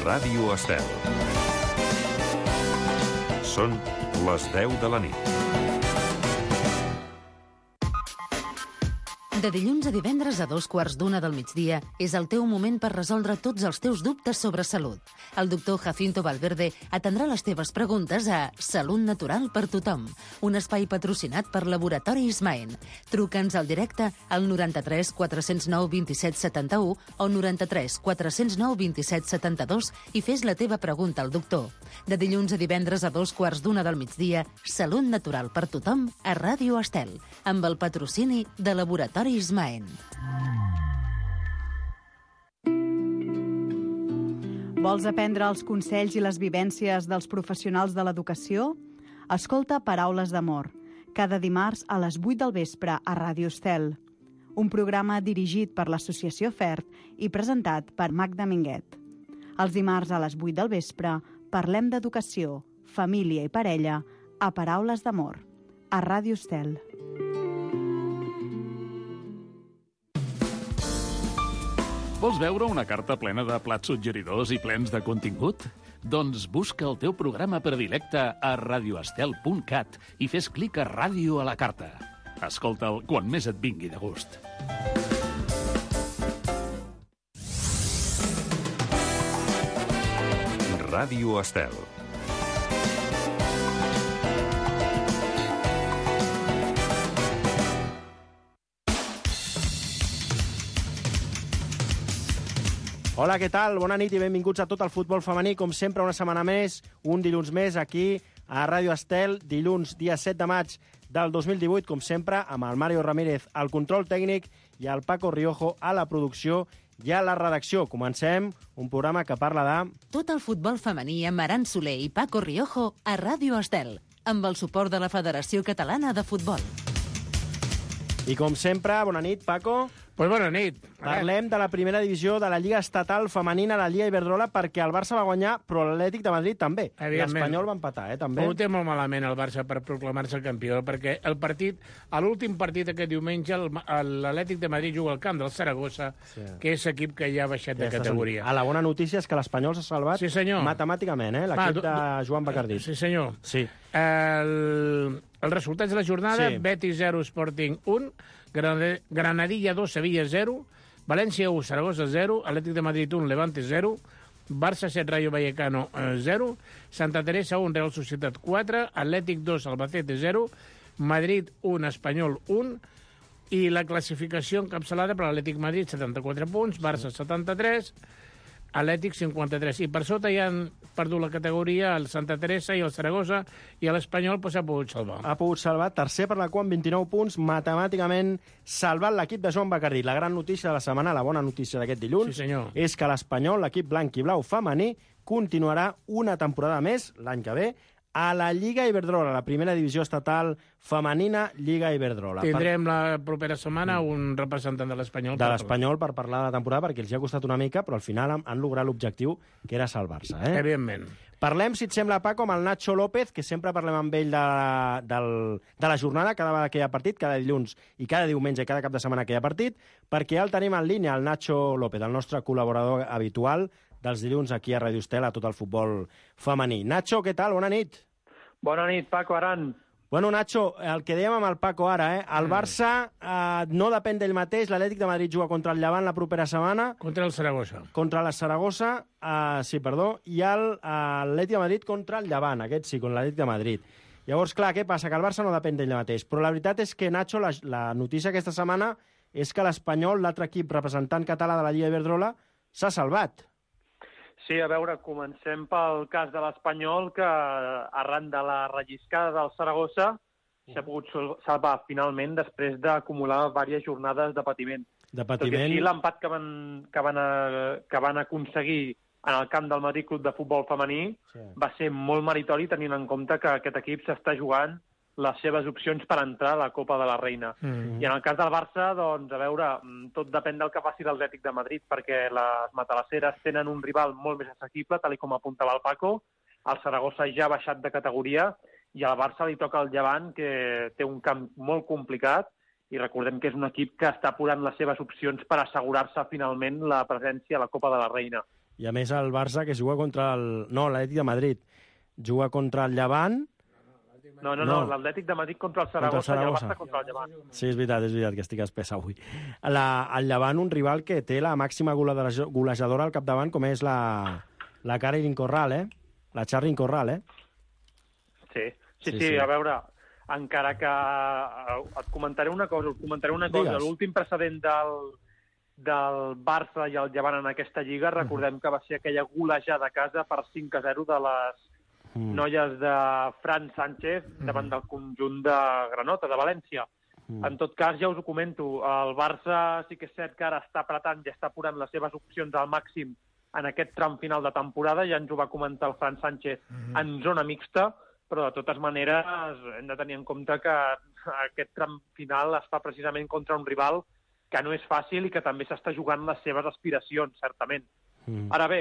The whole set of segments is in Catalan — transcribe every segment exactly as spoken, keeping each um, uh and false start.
Ràdio Estel. Són les deu de la nit. De dilluns a divendres a dos quarts d'una del migdia és el teu moment per resoldre tots els teus dubtes sobre salut. El doctor Jacinto Valverde atendrà les teves preguntes a Salut Natural per Tothom, un espai patrocinat per Laboratori Ismaen. Truca'ns al directe al noranta-tres quatre-cents nou vint-i-set setanta-u o noranta-tres quatre-cents nou vint-i-set setanta-dos i fes la teva pregunta al doctor. De dilluns a divendres a dos quarts d'una del migdia, Salut Natural per Tothom a Ràdio Estel, amb el patrocini de Laboratori Ismaen. Vols aprendre els consells i les vivències dels professionals de l'educació? Escolta Paraules d'Amor, cada dimarts a les vuit del vespre a Ràdio Estel. Un programa dirigit per l'Associació FERT i presentat per Magda Minguet. Els dimarts a les vuit del vespre parlem d'educació, família i parella a Paraules d'Amor, a Ràdio Estel. Vols veure una carta plena de plats suggeridors i plens de contingut? Doncs busca el teu programa predilecte a radioestel punt cat i fes clic a Ràdio a la carta. Escolta'l quan més et vingui de gust. Ràdio Estel. Hola, què tal? Bona nit i benvinguts a tot el futbol femení. Com sempre, una setmana més, un dilluns més, aquí a Ràdio Estel, dilluns, dia set de maig del dos mil divuit, com sempre, amb el Mario Ramírez al control tècnic i el Paco Riojo a la producció i a la redacció. Comencem un programa que parla de... Tot el futbol femení amb Aran Soler i Paco Riojo a Ràdio Estel, amb el suport de la Federació Catalana de Futbol. I com sempre, bona nit, Paco. Pues bona nit. Parlem de la primera divisió de la Lliga Estatal Femenina, la Lliga Iberdrola, perquè el Barça va guanyar, però l'Atlètic de Madrid també. L'Espanyol va empatar, eh, també. Ho té molt malament el Barça per proclamar-se campió, perquè el partit, a l'últim partit aquest diumenge, l'Atlètic de Madrid juga al camp del Saragossa, sí. que és equip que ja ha baixat ja de categoria. A la bona notícia és que l'Espanyol s'ha salvat sí, matemàticament, eh, l'equip de Joan Bacardí. Sí, senyor. Sí. El, els resultats de la jornada, sí. Betis zero, Sporting un, Granadilla dos, Sevilla zero, València u, Saragossa zero, Atlètic de Madrid un, Levante zero, Barça set, Rayo Vallecano zero, Santa Teresa un, Real Societat quatre, Atlètic dos, Albacete zero, Madrid un, Espanyol un, i la classificació encapçalada per l'Atlètic Madrid, setanta-quatre punts, Barça setanta-tres, Atlètic cinquanta-tres. I per sota ja han perdut la categoria el Santa Teresa i el Saragossa, i l'Espanyol pues, s'ha pogut salvar. Ha pogut salvar, tercer per la qual amb vint-i-nou punts, matemàticament salvat l'equip de Joan Bacardí. La gran notícia de la setmana, la bona notícia d'aquest dilluns, sí, és que l'Espanyol, l'equip blanc i blau femení, continuarà una temporada més, l'any que ve, a la Lliga Iberdrola, la primera divisió estatal femenina Lliga Iberdrola. Tindrem la propera setmana un representant de l'Espanyol. De l'Espanyol per parlar de la temporada, perquè els hi ha costat una mica, però al final han, han lograt l'objectiu, que era salvar-se. Eh? Evidentment. Parlem, si et sembla, Paco, amb el Nacho López, que sempre parlem amb ell de, del, de la jornada, cada vegada que hi ha partit, cada dilluns i cada diumenge i cada cap de setmana que hi ha partit, perquè ja el tenim en línia, el Nacho López, el nostre col·laborador habitual dels dilluns aquí a Ràdio Estel, a tot el futbol femení. Nacho, què tal? Bona nit. Bona nit, Paco Aran. Bueno, Nacho, el que dèiem amb el Paco ara, eh? El Barça eh, no depèn d'ell mateix, l'Atlètic de Madrid juga contra el Llevant la propera setmana. Contra el Saragossa. Contra la Saragossa, eh, sí, perdó, i l'Atlètic de Madrid contra el Llevant, aquest sí, contra l'Atlètic de Madrid. Llavors, clar, què passa? Que el Barça no depèn d'ell mateix, però la veritat és que, Nacho, la, la notícia aquesta setmana és que l'Espanyol, l'altre equip representant català de la Lliga Iberdrola, s'ha salvat. Sí, a veure, comencem pel cas de l'Espanyol, que arran de la relliscada del Saragossa s'ha pogut salvar finalment després d'acumular diverses jornades de patiment. De patiment. Tot i així, l'empat que van, que, van a, que van aconseguir en el camp del Madrid Club de Futbol Femení sí. va ser molt meritori, tenint en compte que aquest equip s'està jugant les seves opcions per entrar a la Copa de la Reina. Mm-hmm. I en el cas del Barça, doncs, a veure, tot depèn del que faci l'Atlètic de Madrid, perquè les matalasseres tenen un rival molt més assequible, tal com apuntava el Paco. El Saragossa ja ha baixat de categoria i al Barça li toca el Llevant, que té un camp molt complicat, i recordem que és un equip que està apurant les seves opcions per assegurar-se finalment la presència a la Copa de la Reina. I a més el Barça, que juga contra el... No, l'Atlètic de Madrid. Juga contra el Llevant. No, no, no, no. l'Atlètic de Madrid contra el Saragossa, contra el Saragossa i el Barça contra el Llevant. Sí, és veritat, és veritat, que estic espès avui. La, el Llevant, un rival que té la màxima golejadora al capdavant, com és la, la Caroline Corral, eh? La Charlyn Corral, eh? Sí, sí, sí, sí, a veure, encara que... Et comentaré una cosa, et comentaré una cosa. L'últim precedent del... del Barça i el Llevant en aquesta lliga, recordem que va ser aquella golejada a casa per cinc a zero de les mm. noies de Fran Sánchez davant del conjunt de Granota, de València. Mm. En tot cas, ja us ho comento, el Barça sí que és cert que ara està apretant i està apurant les seves opcions al màxim en aquest tram final de temporada, ja ens ho va comentar el Fran Sánchez mm. en zona mixta, però de totes maneres hem de tenir en compte que aquest tram final es fa precisament contra un rival que no és fàcil i que també s'està jugant les seves aspiracions, certament. Mm. Ara bé,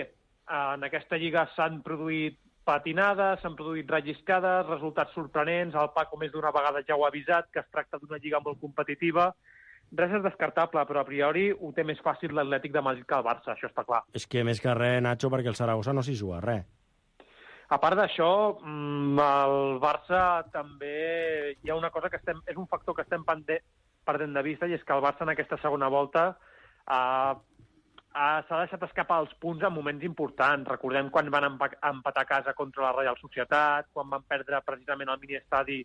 en aquesta lliga s'han produït patinades, s'han produït relliscades, resultats sorprenents, el Paco més d'una vegada ja ho ha avisat, que es tracta d'una lliga molt competitiva. Res és descartable, però a priori ho té més fàcil l'Atlètic de Madrid que el Barça, això està clar. És que més que res, Nacho, perquè el Saragossa no s'hi juga res. A part d'això, el Barça també... Hi ha una cosa que estem... És un factor que estem pendent perdent de vista, i és que el Barça en aquesta segona volta uh, uh, s'ha deixat escapar els punts en moments importants. Recordem quan van empatar a casa contra la Reial Societat, quan van perdre precisament el miniestadi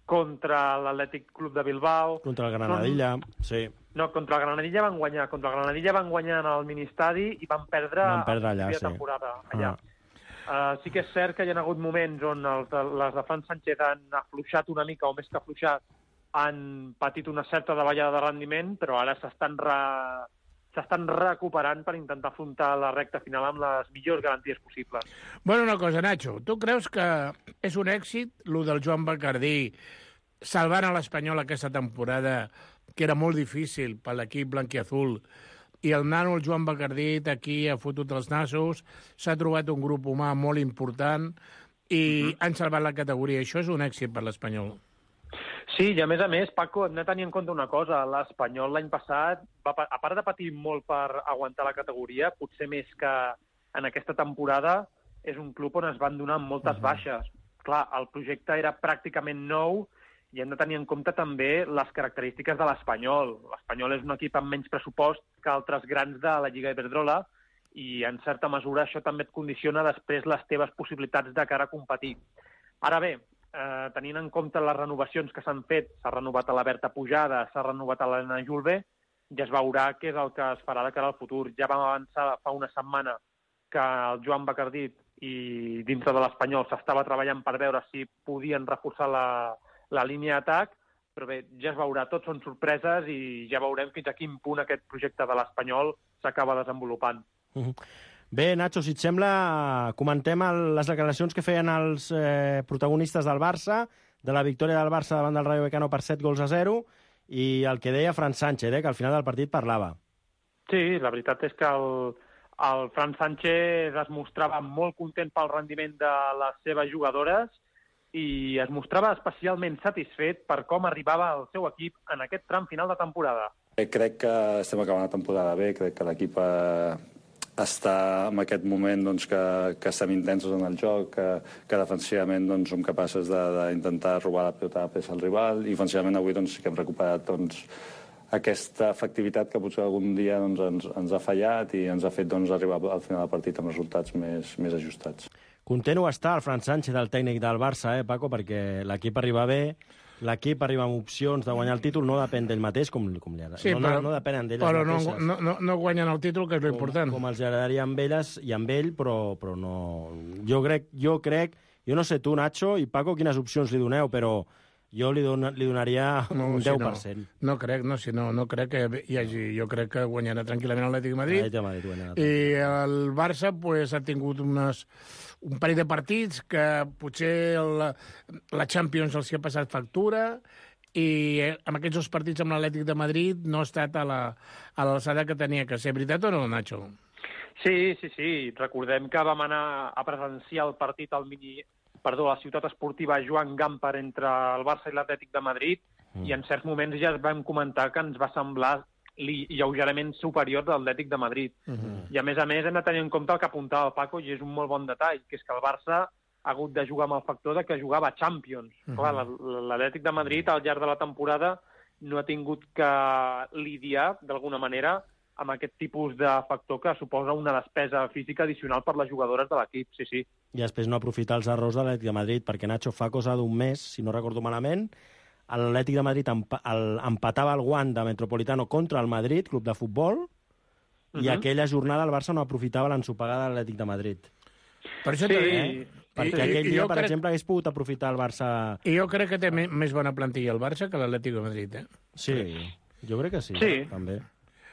contra l'Atlètic Club de Bilbao. Contra el Granadilla, no, sí. No, contra el Granadilla van guanyar. Contra el Granadilla van guanyar en el ministadi i van perdre, van perdre allà, sí. temporada allà. Ah. Uh, sí que és cert que hi ha hagut moments on els, les de Fran Sánchez han afluixat una mica, o més que afluixat, han patit una certa davallada de rendiment, però ara s'estan re... s'estan recuperant per intentar afrontar la recta final amb les millors garanties possibles. Bueno, una cosa, Nacho, tu creus que és un èxit, lo del Joan Bacardí, salvant a l'Espanyol aquesta temporada, que era molt difícil per l'equip blanquiazul, i el nano, el Joan Bacardí, aquí ha fotut els nassos, s'ha trobat un grup humà molt important i mm-hmm. han salvat la categoria. Això és un èxit per l'Espanyol. Sí, i a més a més, Paco, hem de tenir en compte una cosa. L'Espanyol l'any passat, va, a part de patir molt per aguantar la categoria, potser més que en aquesta temporada, és un club on es van donar moltes uh-huh. baixes. Clar, el projecte era pràcticament nou i hem de tenir en compte també les característiques de l'Espanyol. L'Espanyol és un equip amb menys pressupost que altres grans de la Lliga Iberdrola i, en certa mesura, això també et condiciona després les teves possibilitats de cara a competir. Ara bé, Eh, tenint en compte les renovacions que s'han fet, s'ha renovat a la Berta Pujada, s'ha renovat a l'Helena Julve, ja es veurà què és el que es farà de cara al futur. Ja vam avançar fa una setmana que el Joan Bacardí i dintre de l'Espanyol s'estava treballant per veure si podien reforçar la, la línia d'atac, però bé, ja es veurà, tot són sorpreses i ja veurem fins a quin punt aquest projecte de l'Espanyol s'acaba desenvolupant. Uh-huh. Bé, Nacho, si et sembla, comentem el, les declaracions que feien els eh, protagonistes del Barça, de la victòria del Barça davant del Rayo Vallecano per set gols a zero, i el que deia Fran Sánchez, eh, que al final del partit parlava. Sí, la veritat és que el, el Fran Sánchez es mostrava molt content pel rendiment de les seves jugadores i es mostrava especialment satisfet per com arribava el seu equip en aquest tram final de temporada. Crec que estem acabant la temporada bé, crec que l'equip eh, està en aquest moment doncs, que, que estem intensos en el joc, que, que defensivament doncs, som capaços d'intentar robar la pilota a peça al rival, i ofensivament avui doncs, sí que hem recuperat doncs, aquesta efectivitat que potser algun dia doncs, ens, ens ha fallat i ens ha fet doncs, arribar al final del partit amb resultats més, més ajustats. Content ho està el Fran Sánchez, el tècnic del Barça, eh, Paco, perquè l'equip arriba bé, l'equip arriba amb opcions de guanyar el títol, no depèn d'ell mateix, com, com li agrada. Sí, no, però, no, no depenen d'elles però mateixes. no, no, no guanyen el títol, que és l'important. Com, com els agradaria amb elles i amb ell, però, però no... Jo crec, jo crec, jo no sé tu, Nacho i Paco, quines opcions li doneu, però jo li, don, li donaria no, un si deu per cent. No, no crec, no, si no, no crec que hi hagi... Jo crec que guanyarà tranquil·lament l'Atlètic de Madrid. de Madrid guanyarà. I el Barça pues, ha tingut unes, un parell de partits que potser la, la Champions els hi ha passat factura, i amb aquests dos partits amb l'Atlètic de Madrid no ha estat a l'alçada que tenia que ser. Veritat o no, Nacho? Sí, sí, sí. Recordem que vam anar a presenciar el partit al mini... Perdó, a la ciutat esportiva Joan Gamper entre el Barça i l'Atlètic de Madrid, mm. i en certs moments ja vam comentar que ens va semblar lleugerament superior de l'Atlètic de Madrid. Uh-huh. I a més a més hem de tenir en compte el que apuntava el Paco, i és un molt bon detall, que és que el Barça ha hagut de jugar amb el factor de que jugava a Champions. Uh-huh. Clar, l'Atlètic de Madrid al llarg de la temporada no ha tingut que lidiar, d'alguna manera, amb aquest tipus de factor que suposa una despesa física addicional per les jugadores de l'equip, sí, sí. I després no aprofitar els errors de l'Atlètic de Madrid, perquè Nacho, fa cosa d'un mes, si no recordo malament, l'Atlètic de Madrid emp el, empatava el guant de Metropolitano contra el Madrid, club de futbol, uh-huh. i aquella jornada el Barça no aprofitava l'ensopegada de l'Atlètic de Madrid. Per això sí. eh? Perquè I, aquell dia, per crec... exemple, hagués pogut aprofitar el Barça... I jo crec que té més bona plantilla el Barça que l'Atlètic de Madrid, eh? Sí, jo crec que sí, sí. Eh? també.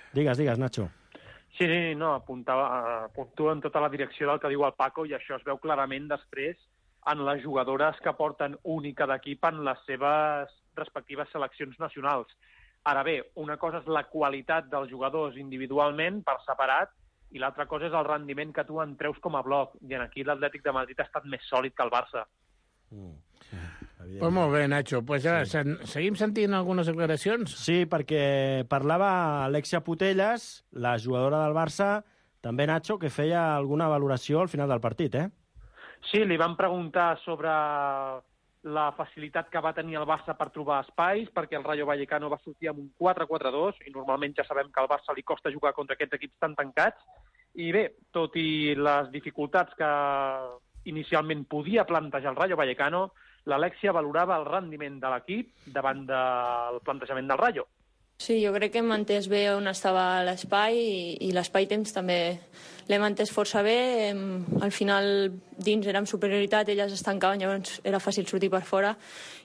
Digues, digues, Nacho. Sí, sí, no, apuntava, apuntua en tota la direcció del que diu el Paco, i això es veu clarament després en les jugadores que porten única d'equip en les seves respectives seleccions nacionals. Ara bé, una cosa és la qualitat dels jugadors individualment, per separat, i l'altra cosa és el rendiment que tu en treus com a bloc. I en aquí l'Atlètic de Madrid ha estat més sòlid que el Barça. Mm. Pues molt bé, Nacho. Pues ja, sí. Seguim sentint algunes declaracions? Sí, perquè parlava Alexia Putellas, la jugadora del Barça, també, Nacho, que feia alguna valoració al final del partit, eh? Sí, li van preguntar sobre la facilitat que va tenir el Barça per trobar espais, perquè el Rayo Vallecano va sortir amb un quatre quatre dos, i normalment ja sabem que al Barça li costa jugar contra aquests equips tan tancats. I bé, tot i les dificultats que inicialment podia plantejar el Rayo Vallecano, l'Alexia valorava el rendiment de l'equip davant del plantejament del Rayo. Sí, jo crec que hem entès bé on estava l'espai i, i l'espai-temps també l'hem entès força bé. Hem, al final, dins érem superioritat, elles es tancaven, llavors era fàcil sortir per fora.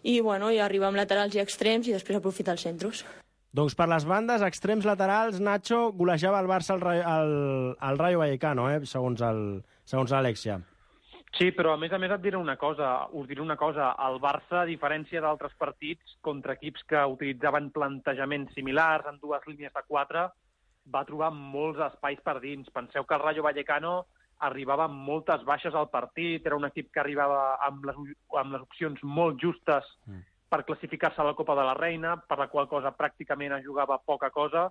I, bueno, i arribar amb laterals i extrems i després aprofitar els centros. Doncs per les bandes, extrems laterals, Nacho golejava el Barça al, al, al Rayo Vallecano, eh, segons el, segons l'Alexia. Sí, però a més a més et diré una cosa, us diré una cosa, el Barça, a diferència d'altres partits contra equips que utilitzaven plantejaments similars en dues línies de quatre, va trobar molts espais per dins. Penseu que el Rayo Vallecano arribava amb moltes baixes al partit, era un equip que arribava amb les, amb les opcions molt justes per classificar-se a la Copa de la Reina, per la qual cosa pràcticament es jugava poca cosa,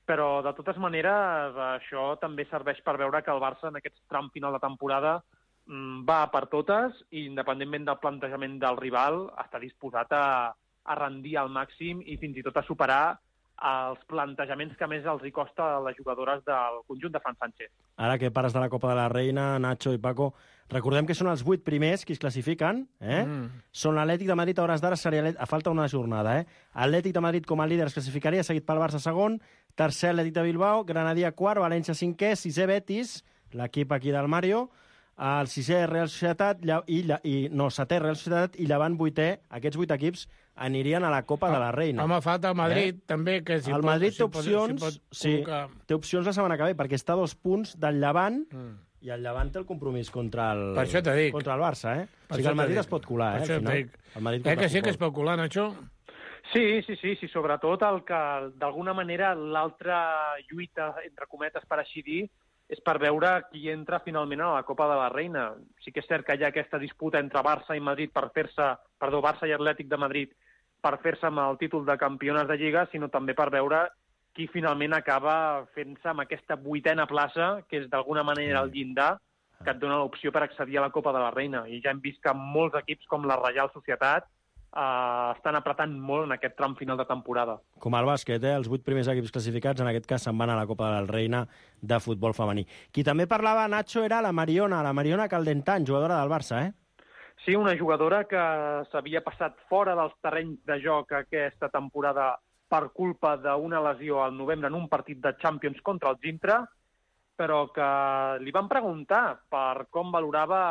però de totes maneres això també serveix per veure que el Barça en aquest tram final de temporada va per totes i, independentment del plantejament del rival, està disposat a, a rendir al màxim i fins i tot a superar els plantejaments que més els hi costa a les jugadores del conjunt de Fran Sánchez. Ara que pares de la Copa de la Reina, Nacho i Paco, recordem que són els vuit primers qui es classifiquen. Eh? Mm. Són l'Atlètic de Madrid, a hores d'ara seria a falta una jornada. Eh? Atlètic de Madrid com a líder es classificaria, seguit pel Barça segon, tercer Atlètic de Bilbao, Granadilla quart, València cinquè, sisè Betis, l'equip aquí del Mario, el sisè Real Societat i, i no, setè Real Societat i Llevant vuitè. Aquests vuit equips anirien a la Copa ah, de la Reina. Home, falta el Madrid, eh? també. Que si el pot, Madrid si té opcions, pot, si pot sí, té opcions la setmana que ve, perquè està a dos punts del Llevant mm. i el Llevant té el compromís contra el, per això t'he dit. contra el Barça. Eh? O sigui que el Madrid es pot colar. Eh, al final. El Madrid eh que sí que es pot colar, Nacho? Sí, sí, sí, sí, sobretot el que d'alguna manera l'altra lluita, entre cometes, per així dir, és per veure qui entra finalment a la Copa de la Reina. Sí que és cert que hi ha aquesta disputa entre Barça i Madrid per fer-se, perdó, Barça i Atlètic de Madrid per fer-se amb el títol de campiones de Lliga, sinó també per veure qui finalment acaba fent-se amb aquesta vuitena plaça, que és d'alguna manera el llindar, que et dona l'opció per accedir a la Copa de la Reina. I ja hem vist que molts equips com la Reial Societat Uh, estan apretant molt en aquest tram final de temporada. Com el bàsquet, eh? Els vuit primers equips classificats, en aquest cas, se'n van a la Copa de la Reina de futbol femení. Qui també parlava, Nacho, era la Mariona, la Mariona Caldentany, jugadora del Barça, eh? Sí, una jugadora que s'havia passat fora dels terrenys de joc aquesta temporada per culpa d'una lesió al novembre en un partit de Champions contra el Gintra, però que li van preguntar per com valorava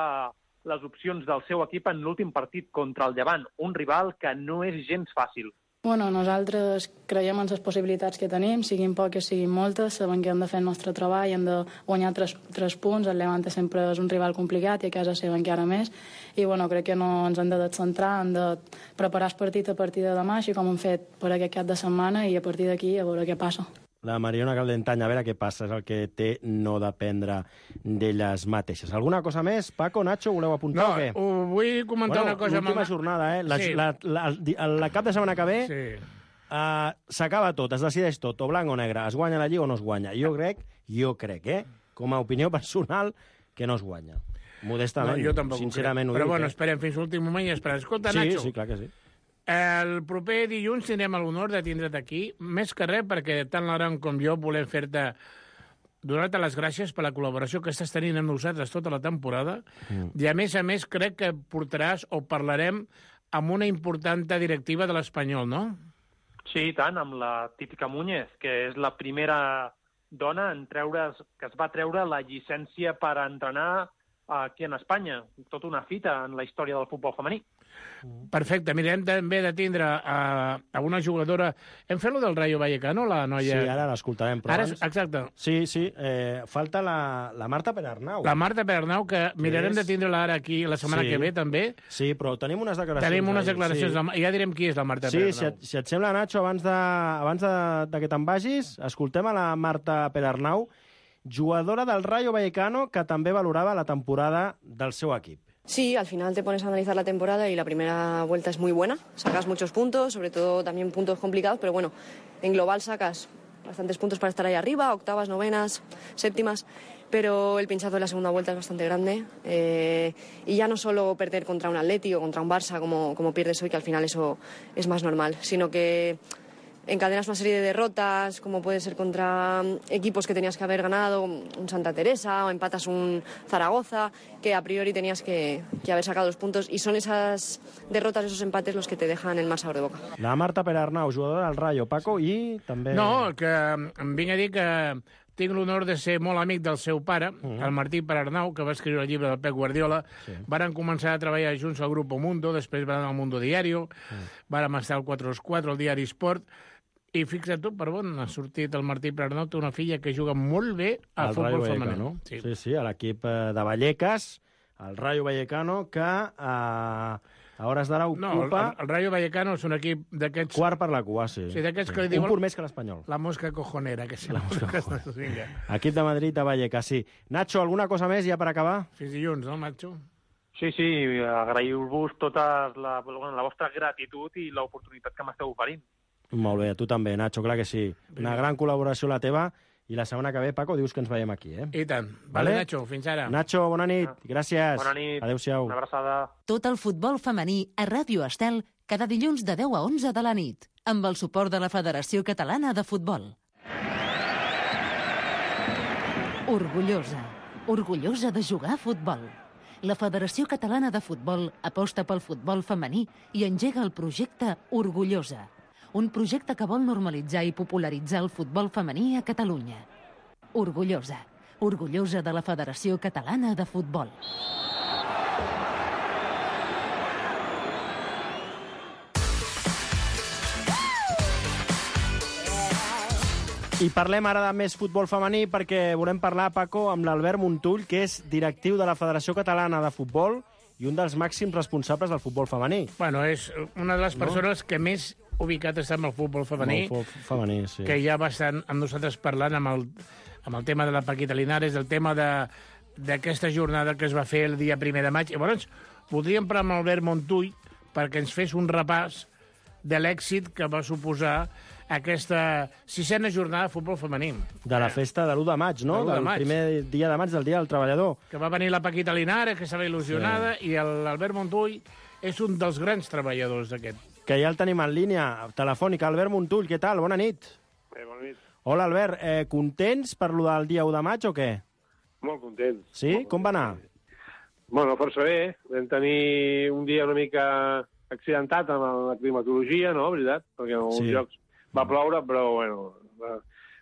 les opcions del seu equip en l'últim partit contra el Llevant, un rival que no és gens fàcil. Bueno, nosaltres creiem en les possibilitats que tenim, siguin poques, siguin moltes, sabem que hem de fer el nostre treball, hem de guanyar tres, tres punts, el Levante sempre és un rival complicat i a casa seva encara més, i bueno, crec que no ens hem de descentrar, hem de preparar el partit a partir de demà, així com hem fet per aquest cap de setmana, i a partir d'aquí a veure què passa. La Mariona Caldentany, a veure què passa, és el que té no dependre d'elles mateixes. Alguna cosa més? Paco, Nacho, voleu apuntar no, o què? No, vull comentar bueno, una cosa. L'última jornada, eh? La, sí. la, la, la, la cap de setmana que ve, sí. uh, s'acaba tot, es decideix tot, o blanc o negre, es guanya la Lliga o no es guanya. Jo crec, jo crec, eh, com a opinió personal, que no es guanya. Modestament, no, jo tampoc sincerament ho Però dic, bueno, eh? esperem fins l'últim moment i esperem. Escolta, sí, Nacho, sí, clar que sí. el proper dilluns tindrem l'honor de tindre't aquí, més que res perquè tant l'Aran com jo volem fer-te donar-te les gràcies per la col·laboració que estàs tenint amb nosaltres tota la temporada mm. i, a més a més, crec que portaràs o parlarem amb una important directiva de l'Espanyol, no? Sí, i tant, amb la típica Muñez, que és la primera dona en treure's, que es va treure la llicència per entrenar aquí en Espanya. Tota una fita en la història del futbol femení. Perfecte. Mira, hem també de tindre a, a una jugadora... Hem fet lo del Rayo Vallecano, la noia... Sí, ara l'escoltarem, però ara, abans... Exacte. Sí, sí. Eh, falta la, la Marta Perarnau. La Marta Perarnau, que, que mirarem és... de tindre-la ara aquí la setmana sí. que ve, també. Sí, però tenim unes declaracions. Tenim unes declaracions. Sí. I ja direm qui és la Marta sí, Perarnau. Sí, si, et, si et sembla, Nacho, abans de, abans de, de que te'n vagis, escoltem a la Marta Perarnau, jugadora del Rayo Vallecano, que també valorava la temporada del seu equip. Sí, al final te pones a analizar la temporada y la primera vuelta es muy buena. Sacas muchos puntos, sobre todo también puntos complicados, pero bueno, en global sacas bastantes puntos para estar ahí arriba, octavas, novenas, séptimas, pero el pinchazo de la segunda vuelta es bastante grande. Eh, y ya no solo perder contra un Atleti o contra un Barça, como, como pierdes hoy, que al final eso es más normal, sino que encadenas una serie de derrotas, como puede ser contra equipos que tenías que haber ganado, un Santa Teresa, o empatas un Zaragoza, que a priori tenías que, que haber sacado los puntos, y son esas derrotas, esos empates, los que te dejan el más sabor de boca. La Marta Perarnau, jugadora del Rayo, Paco, i també... No, que em vinc a dir que tinc l'honor de ser molt amic del seu pare, uh-huh. el Martí Perarnau, que va escriure el llibre del Pep Guardiola. Sí. Varen començar a treballar junts al Grupo Mundo, després van anar al Mundo Diario, uh-huh. vàrem estar al quatre als quatre, al Diari Sport, i fixa't tu, per on ha sortit el Martí Perarnau, té una filla que juga molt bé al el futbol Rayo femení. No? Sí. sí, sí, a l'equip de Vallecas, el Rayo Vallecano, que eh, a hores d'ara ocupa... No, el, el Rayo Vallecano és un equip d'aquests... Quart per la cua, sí. Sí, d'aquests sí. que li diuen... Un pur més que l'Espanyol. La mosca cojonera, que sí. La mosca cojonera. Equip de Madrid de Vallecas, sí. Nacho, alguna cosa més ja per acabar? Fins dilluns, no, Nacho? Sí, sí, agraïu-vos tota la, la vostra gratitud i l'oportunitat que m'esteu oferint. Molt bé, tu també, Nacho, clar que sí. Una gran col·laboració la teva, i la setmana que ve, Paco, dius que ens veiem aquí, eh? I tant. Vale, vale Nacho, fins ara. Nacho, bona nit, gràcies. Bona nit. Adéu-siau. Una abraçada. Tot el futbol femení a Ràdio Estel cada dilluns de deu a onze de la nit, amb el suport de la Federació Catalana de Futbol. Orgullosa. Orgullosa de jugar a futbol. La Federació Catalana de Futbol aposta pel futbol femení i engega el projecte Orgullosa, un projecte que vol normalitzar i popularitzar el futbol femení a Catalunya. Orgullosa. Orgullosa de la Federació Catalana de Futbol. I parlem ara de més futbol femení perquè volem parlar, Paco, amb l'Albert Montull, que és directiu de la Federació Catalana de Futbol i un dels màxims responsables del futbol femení. Bueno, és una de les persones no? que més ubicat està amb el futbol femení, el futbol femení sí. que ja va estar amb nosaltres parlant amb el, amb el tema de la Paquita Linares, el tema d'aquesta jornada que es va fer el dia primer de maig. I llavors, voldríem parlar amb Albert Montull perquè ens fes un repàs de l'èxit que va suposar aquesta sisena jornada de futbol femení. De la festa de l'u de maig, no? De del maig. primer dia de maig del Dia del Treballador. Que va venir la Paquita Linares, que estava il·lusionada, sí. i l'Albert Montull és un dels grans treballadors d'aquest. Que ja el tenim en línia telefònica. Albert Montull, què tal? Bona nit. Eh, bona nit. Hola, Albert. Eh, contents per lo del dia u de maig o què? Molt contents. Sí? Molt Com va anar? Bueno, força bé. Vam tenir un dia una mica accidentat amb la climatologia, no? Veritat? Perquè en alguns sí. llocs va ploure, però, bueno,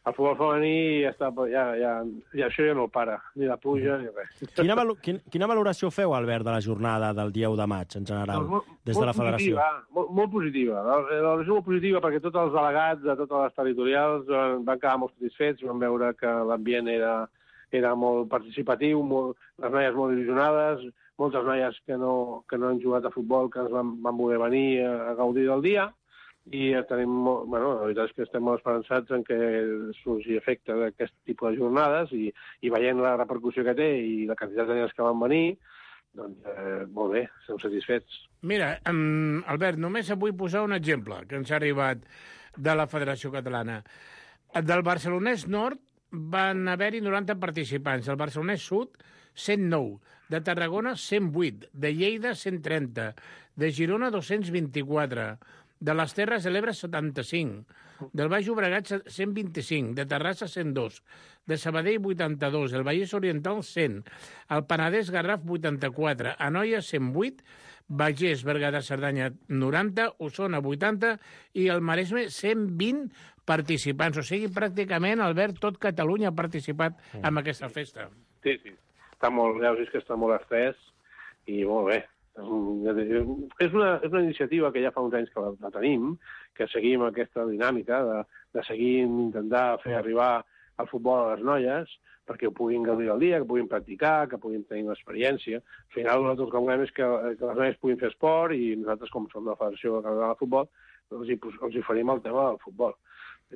el futbol femení ja està, ja, ja, ja, això ja no para, ni la pluja ni res. Quina, valo, quina, quina valoració feu, Albert, de la jornada del dia u de maig, en general, doncs molt, des de la federació? Positiva, molt, molt positiva. La valoració molt positiva perquè tots els delegats de totes les territorials van quedar molt satisfets, van veure que l'ambient era, era molt participatiu, molt, les noies molt il·lusionades, moltes noies que no, que no han jugat a futbol, que ens van, van voler venir a, a gaudir del dia, i tenim, bueno, la veritat és que estem molt esperançats en que surgi efecte d'aquest tipus de jornades i, i veient la repercussió que té i la quantitat de nens que van venir, doncs eh, molt bé, estem satisfets. Mira, um, Albert, només vull posar un exemple que ens ha arribat. de la Federació Catalana. Del Barcelonès Nord van haver-hi noranta participants, el Barcelonès Sud, cent nou, de Tarragona, cent vuit, de Lleida, cent trenta, de Girona, dos-cents vint-i-quatre, de les Terres de l'Ebre, setanta-cinc, del Baix Llobregat, cent vint-i-cinc, de Terrassa, cent dos, de Sabadell, vuitanta-dos, el Vallès Oriental, cent, el Penedès Garraf, vuitanta-quatre, Anoia, cent vuit, Bagés, Berguedà, Cerdanya, noranta, Osona, vuitanta, i el Maresme, cent vint participants. O sigui, pràcticament, Albert, tot Catalunya ha participat en aquesta festa. Sí, sí. Està molt, ja us que està molt estès i molt bé. És una, és una iniciativa que ja fa uns anys que la, la tenim, que seguim aquesta dinàmica de, de seguir intentar fer arribar el futbol a les noies perquè ho puguin gaudir al dia, que puguin practicar, que puguin tenir una experiència. Al final, nosaltres el que volem és que, que les noies puguin fer esport i nosaltres, com som la Federació Catalana de Futbol, els hi, els hi oferim el tema del futbol.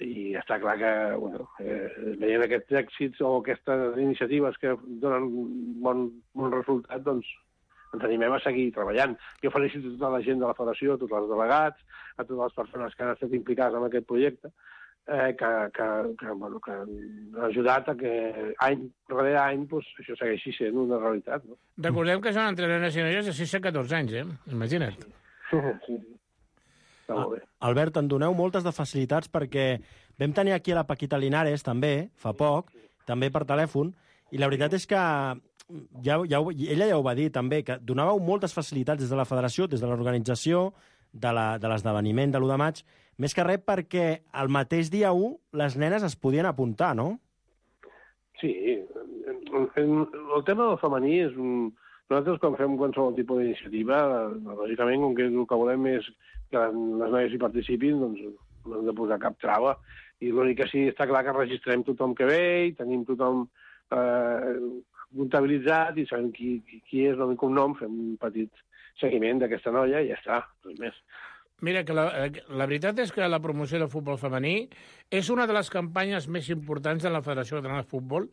I està clar que, bueno, eh, veient aquests èxits o aquestes iniciatives que donen bon, bon resultat, doncs ens animem a seguir treballant. Jo felicito tota la gent de la Federació, a tots els delegats, a totes les persones que han estat implicades en aquest projecte, eh, que, que, que, bueno, que han ajudat a que any darrere any pues, això segueixi sent una realitat. No? Recordem que són entre nenes i noies de sis a catorze anys, eh? Imagina't. Sí, sí. Està molt bé. Albert, en doneu moltes de facilitats perquè vam tenir aquí a la Paquita Linares, també, fa poc, també per telèfon, i la veritat és que ja, ja, ella ja ho va dir també, que donàveu moltes facilitats des de la federació, des de l'organització, de l'esdeveniment de l'u de maig, més que res perquè el mateix dia u les nenes es podien apuntar, no? Sí, el tema del femení és un... Nosaltres, quan fem qualsevol tipus d'iniciativa, lògicament, com que el que volem és que les noies hi participin, doncs no hem de posar cap trava. I l'únic que sí està clar que registrem tothom que ve i tenim tothom eh, comptabilitzat i sabem qui, qui és, nom i cognom, fem un petit seguiment d'aquesta noia i ja està, res més. Mira, que la, la veritat és que la promoció del futbol femení és una de les campanyes més importants de la Federació Catalana de Futbol.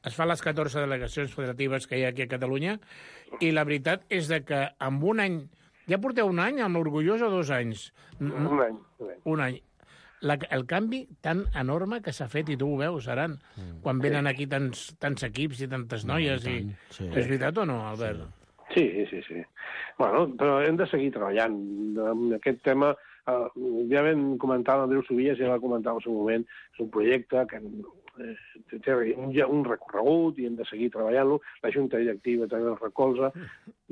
Es fan les catorze delegacions federatives que hi ha aquí a Catalunya i la veritat és de que en un any... Ja porteu un any amb l'Orgullós o dos anys? Un any. Un any. Un any. La, el canvi tan enorme que s'ha fet, i tu ho veus, Aran, mm. quan venen aquí tants, tants equips i tantes noies. No, i, i... Sí. És veritat o no, Albert? Sí, sí, sí. Bueno, però hem de seguir treballant. En aquest tema, eh, ja vam comentar l'Andreu Sobies, ja va comentar en el seu moment, és un projecte que eh, té un, un recorregut i hem de seguir treballant-lo. La Junta Directiva també el recolza.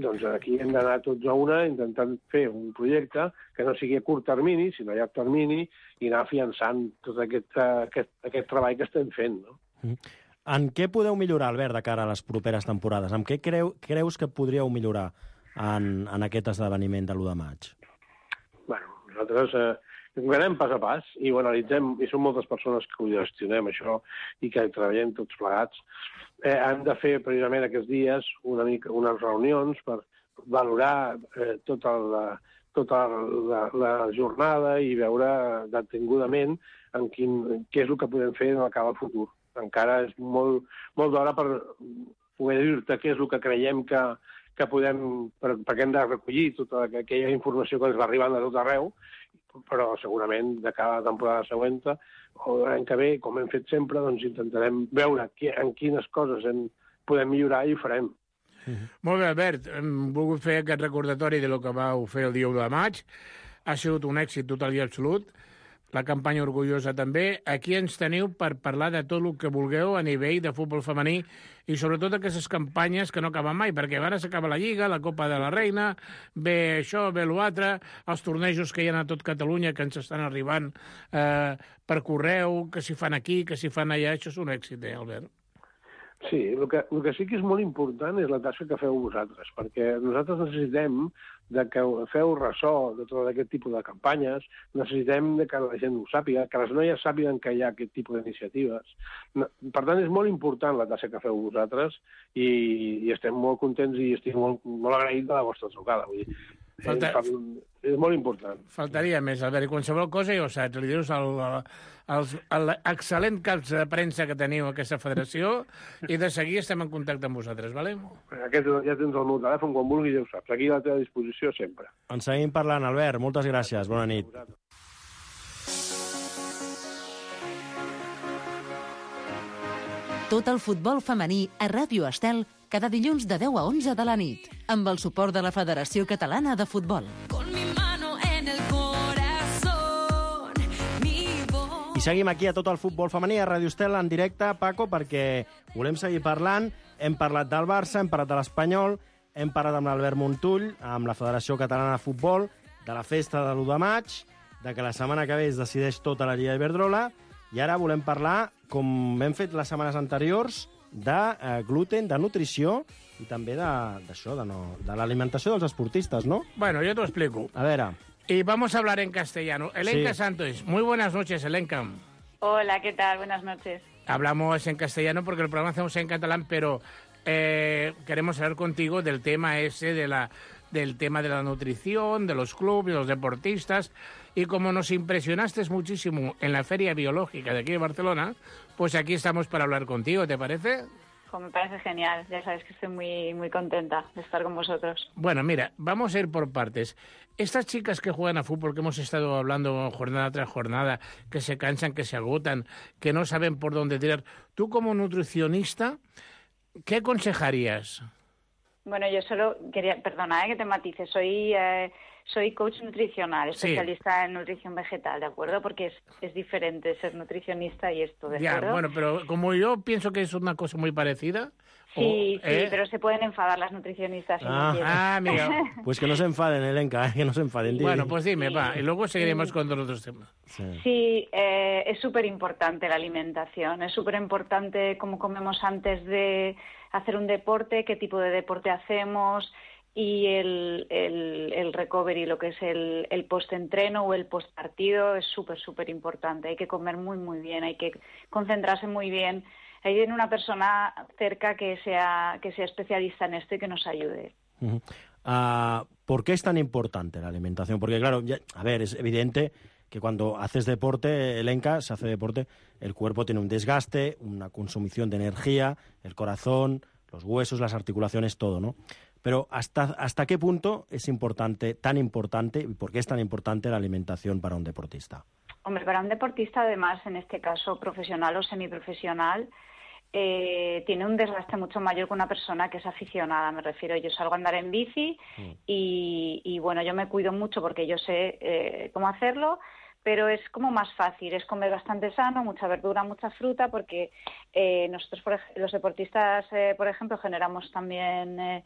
Doncs aquí hem d'anar tots a una intentant fer un projecte que no sigui a curt termini, sinó a llarg termini, i anar afiançant tot aquest, aquest, aquest treball que estem fent, no? Mm. En què podeu millorar, Albert, de cara a les properes temporades? En què creu, creus que podríeu millorar en, en aquest esdeveniment de l'u de maig? Bueno, nosaltres eh, anem pas a pas i ho analitzem, i som moltes persones que ho gestionem, això, i que treballem tots plegats. Eh, hem de fer, precisament, aquests dies una mica, unes reunions per valorar eh, tota la, tota la, la jornada i veure detingudament en quin, què és el que podem fer en el cap al futur. Encara és molt, molt d'hora per poder dir-te què és el que creiem que, que podem, per, perquè hem de recollir tota aquella informació que ens va arribant de tot arreu, però segurament de cada temporada següent o l'any que ve, com hem fet sempre, doncs intentarem veure qui, en quines coses en podem millorar i ho farem. Mm-hmm. Molt bé, Albert, hem volgut fer aquest recordatori de lo que vau fer el dia u de maig. Ha sigut un èxit total i absolut. La campanya orgullosa també. Aquí ens teniu per parlar de tot el que vulgueu a nivell de futbol femení i sobretot aquestes campanyes que no acaben mai, perquè ara s'acaba la Lliga, la Copa de la Reina, ve això, ve l'altre, els tornejos que hi ha a tot Catalunya que ens estan arribant eh, per correu, que s'hi fan aquí, que s'hi fan allà. Això és un èxit, eh, Albert? Sí, el que, el que sí que és molt important és la tasca que feu vosaltres, perquè nosaltres necessitem de que feu ressò de tot aquest tipus de campanyes, necessitem de que la gent ho sàpiga, que les noies sàpiguen que hi ha aquest tipus d'iniciatives. Per tant, és molt important la tasca que feu vosaltres i, i estem molt contents i estic molt, molt agraït de la vostra trucada. Vull dir, Falta... és molt important. Faltaria més, Albert. I qualsevol cosa, ja ho saps, li dius l'excel·lent caps de premsa que teniu a aquesta federació i de seguir estem en contacte amb vosaltres, vale? Aquest, ja tens el meu telèfon, quan vulguis ja ho saps. Aquí a la teva disposició sempre. En seguim parlant, Albert. Moltes gràcies. Bona nit. Tot el futbol femení a Ràdio Estel cada dilluns de deu a onze de la nit, amb el suport de la Federació Catalana de Futbol. I seguim aquí a Tot el futbol femení a Ràdio Estel en directe, Paco, perquè volem seguir parlant. Hem parlat del Barça, hem parlat de l'Espanyol, hem parlat amb l'Albert Montull, amb la Federació Catalana de Futbol, de la festa de l'u de maig, de que la setmana que ve es decideix tota la Lliga Iberdrola, i ara volem parlar, com hem fet les setmanes anteriors, de eh, gluten, de nutrició i també d'això, de, de, no, de l'alimentació dels esportistes, ¿no? Bueno, yo te lo explico. A ver. Y vamos a hablar en castellano. Elenka Sí. Santos, muy buenas noches, Elenka. Hola, ¿qué tal? Buenas noches. Hablamos en castellano porque el programa hacemos en catalán, pero eh, queremos hablar contigo del tema ese, de la, del tema de la nutrición, de los clubes, de los deportistas. Y como nos impresionaste muchísimo en la Feria Biológica de aquí de Barcelona, pues aquí estamos para hablar contigo, ¿te parece? Pues me parece genial. Ya sabes que estoy muy, muy contenta de estar con vosotros. Bueno, mira, vamos a ir por partes. Estas chicas que juegan a fútbol, que hemos estado hablando jornada tras jornada, que se cansan, que se agotan, que no saben por dónde tirar, tú como nutricionista, ¿qué aconsejarías? Bueno, yo solo quería, perdona, eh, que te matice, soy eh, soy coach nutricional, especialista sí. en nutrición vegetal, ¿de acuerdo? Porque es, es diferente ser nutricionista y esto, ¿de ya, acuerdo? Bueno, pero como yo pienso que es una cosa muy parecida... Sí, o, sí, ¿eh? pero se pueden enfadar las nutricionistas si Ah, no quieren. Ah, amiga. Pues que no se enfaden, Elenka, que no se enfaden. Bueno, pues dime, Sí. va, y luego seguiremos Sí. con todos los otros temas. Sí. Sí, eh, es súper importante la alimentación, es súper importante cómo comemos antes de hacer un deporte, qué tipo de deporte hacemos y el, el, el recovery, lo que es el, el post-entreno o el post-partido es súper, súper importante. Hay que comer muy, muy bien, hay que concentrarse muy bien. Hay una persona cerca que sea, que sea especialista en esto y que nos ayude. Uh-huh. Uh, ¿Por qué es tan importante la alimentación? Porque, claro, ya, a ver, es evidente que cuando haces deporte, Elenka, se hace deporte, el cuerpo tiene un desgaste, una consumición de energía, el corazón, los huesos, las articulaciones, todo, ¿no? Pero ¿hasta, hasta qué punto es importante, tan importante, y por qué es tan importante la alimentación para un deportista? Hombre, para un deportista, además, en este caso profesional o semiprofesional, eh, tiene un desgaste mucho mayor que una persona que es aficionada. Me refiero, yo salgo a andar en bici mm. y, y, bueno, yo me cuido mucho porque yo sé eh, cómo hacerlo, pero es como más fácil, es comer bastante sano, mucha verdura, mucha fruta, porque eh, nosotros, por ej- los deportistas, eh, por ejemplo, generamos también eh,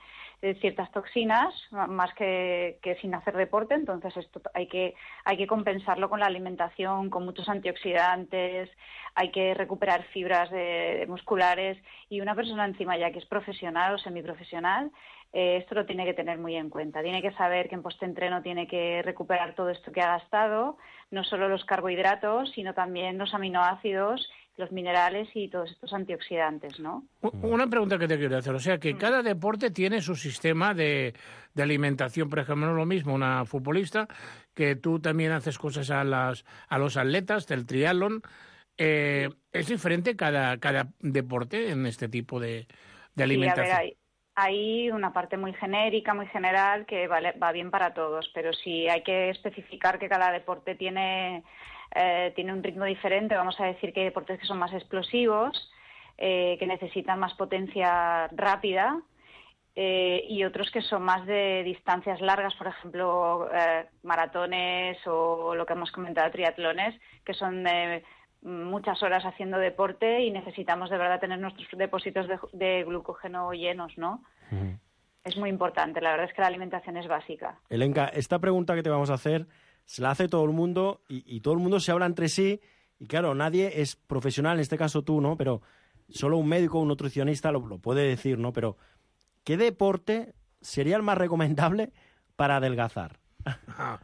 ciertas toxinas, más que, que sin hacer deporte, entonces esto hay que, hay que compensarlo con la alimentación, con muchos antioxidantes, hay que recuperar fibras de, de musculares, y una persona encima ya que es profesional o semiprofesional, eh, esto lo tiene que tener muy en cuenta. Tiene que saber que en postentreno tiene que recuperar todo esto que ha gastado, no solo los carbohidratos, sino también los aminoácidos, los minerales y todos estos antioxidantes, ¿no? Una pregunta que te quiero hacer, o sea, que cada deporte tiene su sistema de, de alimentación. Por ejemplo, no es lo mismo una futbolista, que tú también haces cosas a, las, a los atletas del triatlón. Eh, ¿Es diferente cada, cada deporte en este tipo de, de alimentación? Sí, a ver, hay, hay una parte muy genérica, muy general, que vale, va bien para todos, pero sí hay que especificar que cada deporte tiene, eh, tiene un ritmo diferente. Vamos a decir que hay deportes que son más explosivos, eh, que necesitan más potencia rápida, eh, y otros que son más de distancias largas, por ejemplo, eh, maratones o lo que hemos comentado, triatlones, que son de muchas horas haciendo deporte y necesitamos de verdad tener nuestros depósitos de, de glucógeno llenos, ¿no? Uh-huh. Es muy importante, la verdad es que la alimentación es básica. Elenka, esta pregunta que te vamos a hacer se la hace todo el mundo y, y todo el mundo se habla entre sí y claro, nadie es profesional, en este caso tú, ¿no? Pero solo un médico o un nutricionista lo, lo puede decir, ¿no? Pero ¿qué deporte sería el más recomendable para adelgazar? Ah.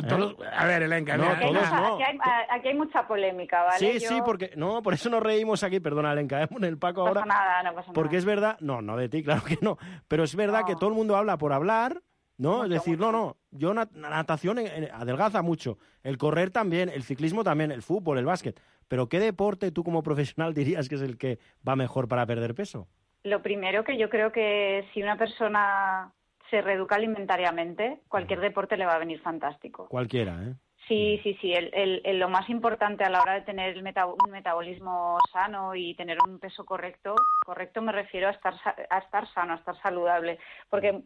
Todos, a ver, Elenka, no, mira, todos aquí, no. Aquí hay, aquí hay mucha polémica, ¿vale? Sí, Yo... sí, porque no, por eso nos reímos aquí, perdona, Elenka, ¿eh? En el Paco no ahora. pasa nada, no pasa porque nada. es verdad, no, no de ti, claro que no, pero es verdad no. que todo el mundo habla por hablar, ¿no? Mucho, es decir, mucho. no, no, yo nat- natación eh, adelgaza mucho, el correr también, el ciclismo también, el fútbol, el básquet, pero ¿qué deporte tú como profesional dirías que es el que va mejor para perder peso? Lo primero, que yo creo que si una persona se reeduca alimentariamente, cualquier deporte le va a venir fantástico. Cualquiera, ¿eh? Sí, sí, sí. El, el, el, lo más importante a la hora de tener el meta, un metabolismo sano y tener un peso correcto, correcto me refiero a estar, a estar sano, a estar saludable, porque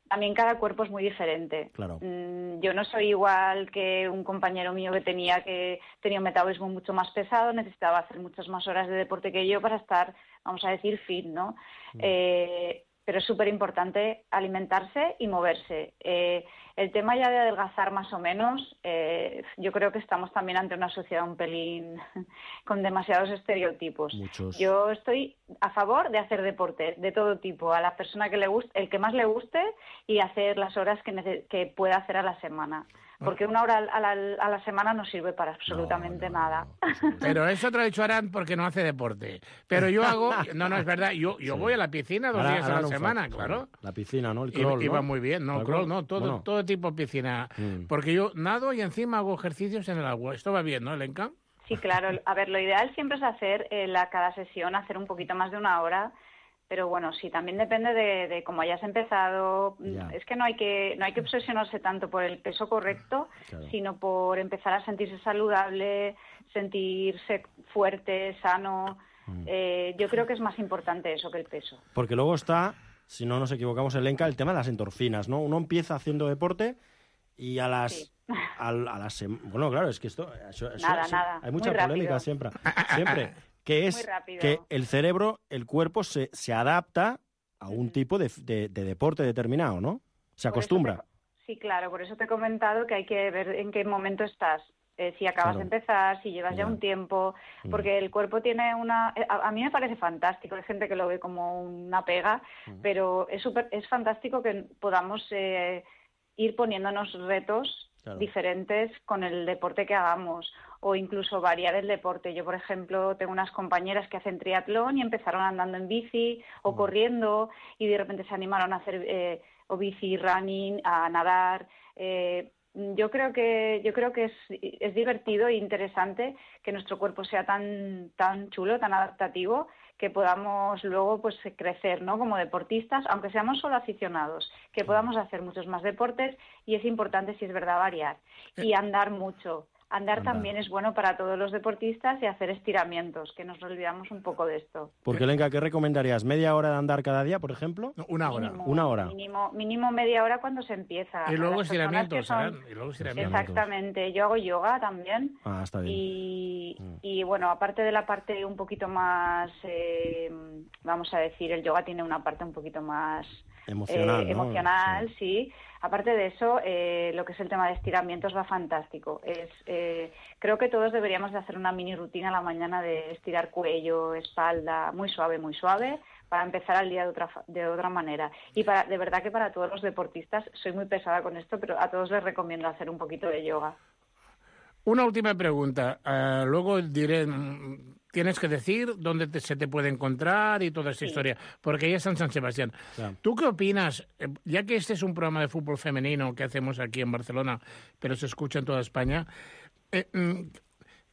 también cada cuerpo es muy diferente. Claro. Mm, yo no soy igual que un compañero mío que tenía que tenía un metabolismo mucho más pesado, necesitaba hacer muchas más horas de deporte que yo para estar, vamos a decir, fit, ¿no? Mm. Eh, pero es súper importante alimentarse y moverse. Eh, el tema ya de adelgazar más o menos, eh, yo creo que estamos también ante una sociedad un pelín con demasiados estereotipos. Muchos. Yo estoy a favor de hacer deporte de todo tipo, a la persona que le guste, el que más le guste, y hacer las horas que, nece- que pueda hacer a la semana. Porque una hora a la, a la semana no sirve para absolutamente no, no, nada. No, no. Pero eso te lo ha dicho Arán porque no hace deporte. Pero yo hago... No, no, es verdad. Yo, yo sí. voy a la piscina dos ahora, días a la semana, fa... claro. La piscina, ¿no? El crawl, y, y va ¿no? muy bien. No, crawl, no. Todo, bueno. todo tipo de piscina. Mm. Porque yo nado y encima hago ejercicios en el agua. Esto va bien, ¿no, Elenka? Sí, claro. A ver, lo ideal siempre es hacer eh, la, cada sesión, hacer un poquito más de una hora. Pero bueno, sí, también depende de, de cómo hayas empezado. Ya. Es que no hay que no hay que obsesionarse tanto por el peso correcto, claro. sino por empezar a sentirse saludable, sentirse fuerte, sano. Mm. Eh, yo creo que es más importante eso que el peso. Porque luego está, si no nos equivocamos, Elenka, el tema de las endorfinas, ¿no? Uno empieza haciendo deporte y a las... Sí. A, a las bueno, claro, es que esto... Eso, eso, nada, eso, nada. Hay mucha Muy polémica rápido. siempre. Siempre. Que es que el cerebro, el cuerpo se, se adapta a un tipo de, de, de deporte determinado, ¿no? Se acostumbra. Te, sí, claro, por eso te he comentado que hay que ver en qué momento estás. Eh, si acabas claro. de empezar, si llevas ya, ya un tiempo, porque mm. el cuerpo tiene una... A, a mí me parece fantástico, hay gente que lo ve como una pega, mm. pero es, super, es fantástico que podamos eh, ir poniéndonos retos claro. diferentes con el deporte que hagamos, o incluso variar el deporte. Yo, por ejemplo, tengo unas compañeras que hacen triatlón y empezaron andando en bici o mm. corriendo y de repente se animaron a hacer eh, o bici, running, a nadar. Eh, yo creo que yo creo que es, es divertido e interesante que nuestro cuerpo sea tan tan chulo, tan adaptativo, que podamos luego pues crecer, ¿no? Como deportistas, aunque seamos solo aficionados, que podamos hacer muchos más deportes, y es importante, si es verdad, variar y andar mucho. Andar, Andar también es bueno para todos los deportistas, y hacer estiramientos, que nos olvidamos un poco de esto. Porque, Elenka, ¿qué recomendarías? ¿Media hora de andar cada día, por ejemplo? No, una hora. Mínimo, una hora. Mínimo, mínimo media hora cuando se empieza. Y luego estiramientos, son... y luego estiramientos. Exactamente. Yo hago yoga también. Ah, está bien. Y, mm. y bueno, aparte de la parte un poquito más, eh, vamos a decir, el yoga tiene una parte un poquito más... Emocional, eh, ¿no? Emocional, sí. sí. Aparte de eso, eh, lo que es el tema de estiramientos va fantástico. Es, eh, creo que todos deberíamos de hacer una mini rutina a la mañana de estirar cuello, espalda, muy suave, muy suave, para empezar el día de otra de otra manera. Y para, de verdad que para todos los deportistas, soy muy pesada con esto, pero a todos les recomiendo hacer un poquito de yoga. Una última pregunta. Uh, luego diré... Tienes que decir dónde te, se te puede encontrar y toda esta sí. historia, porque ya está en San Sebastián. Claro. ¿Tú qué opinas? Ya que este es un programa de fútbol femenino que hacemos aquí en Barcelona, pero se escucha en toda España, eh,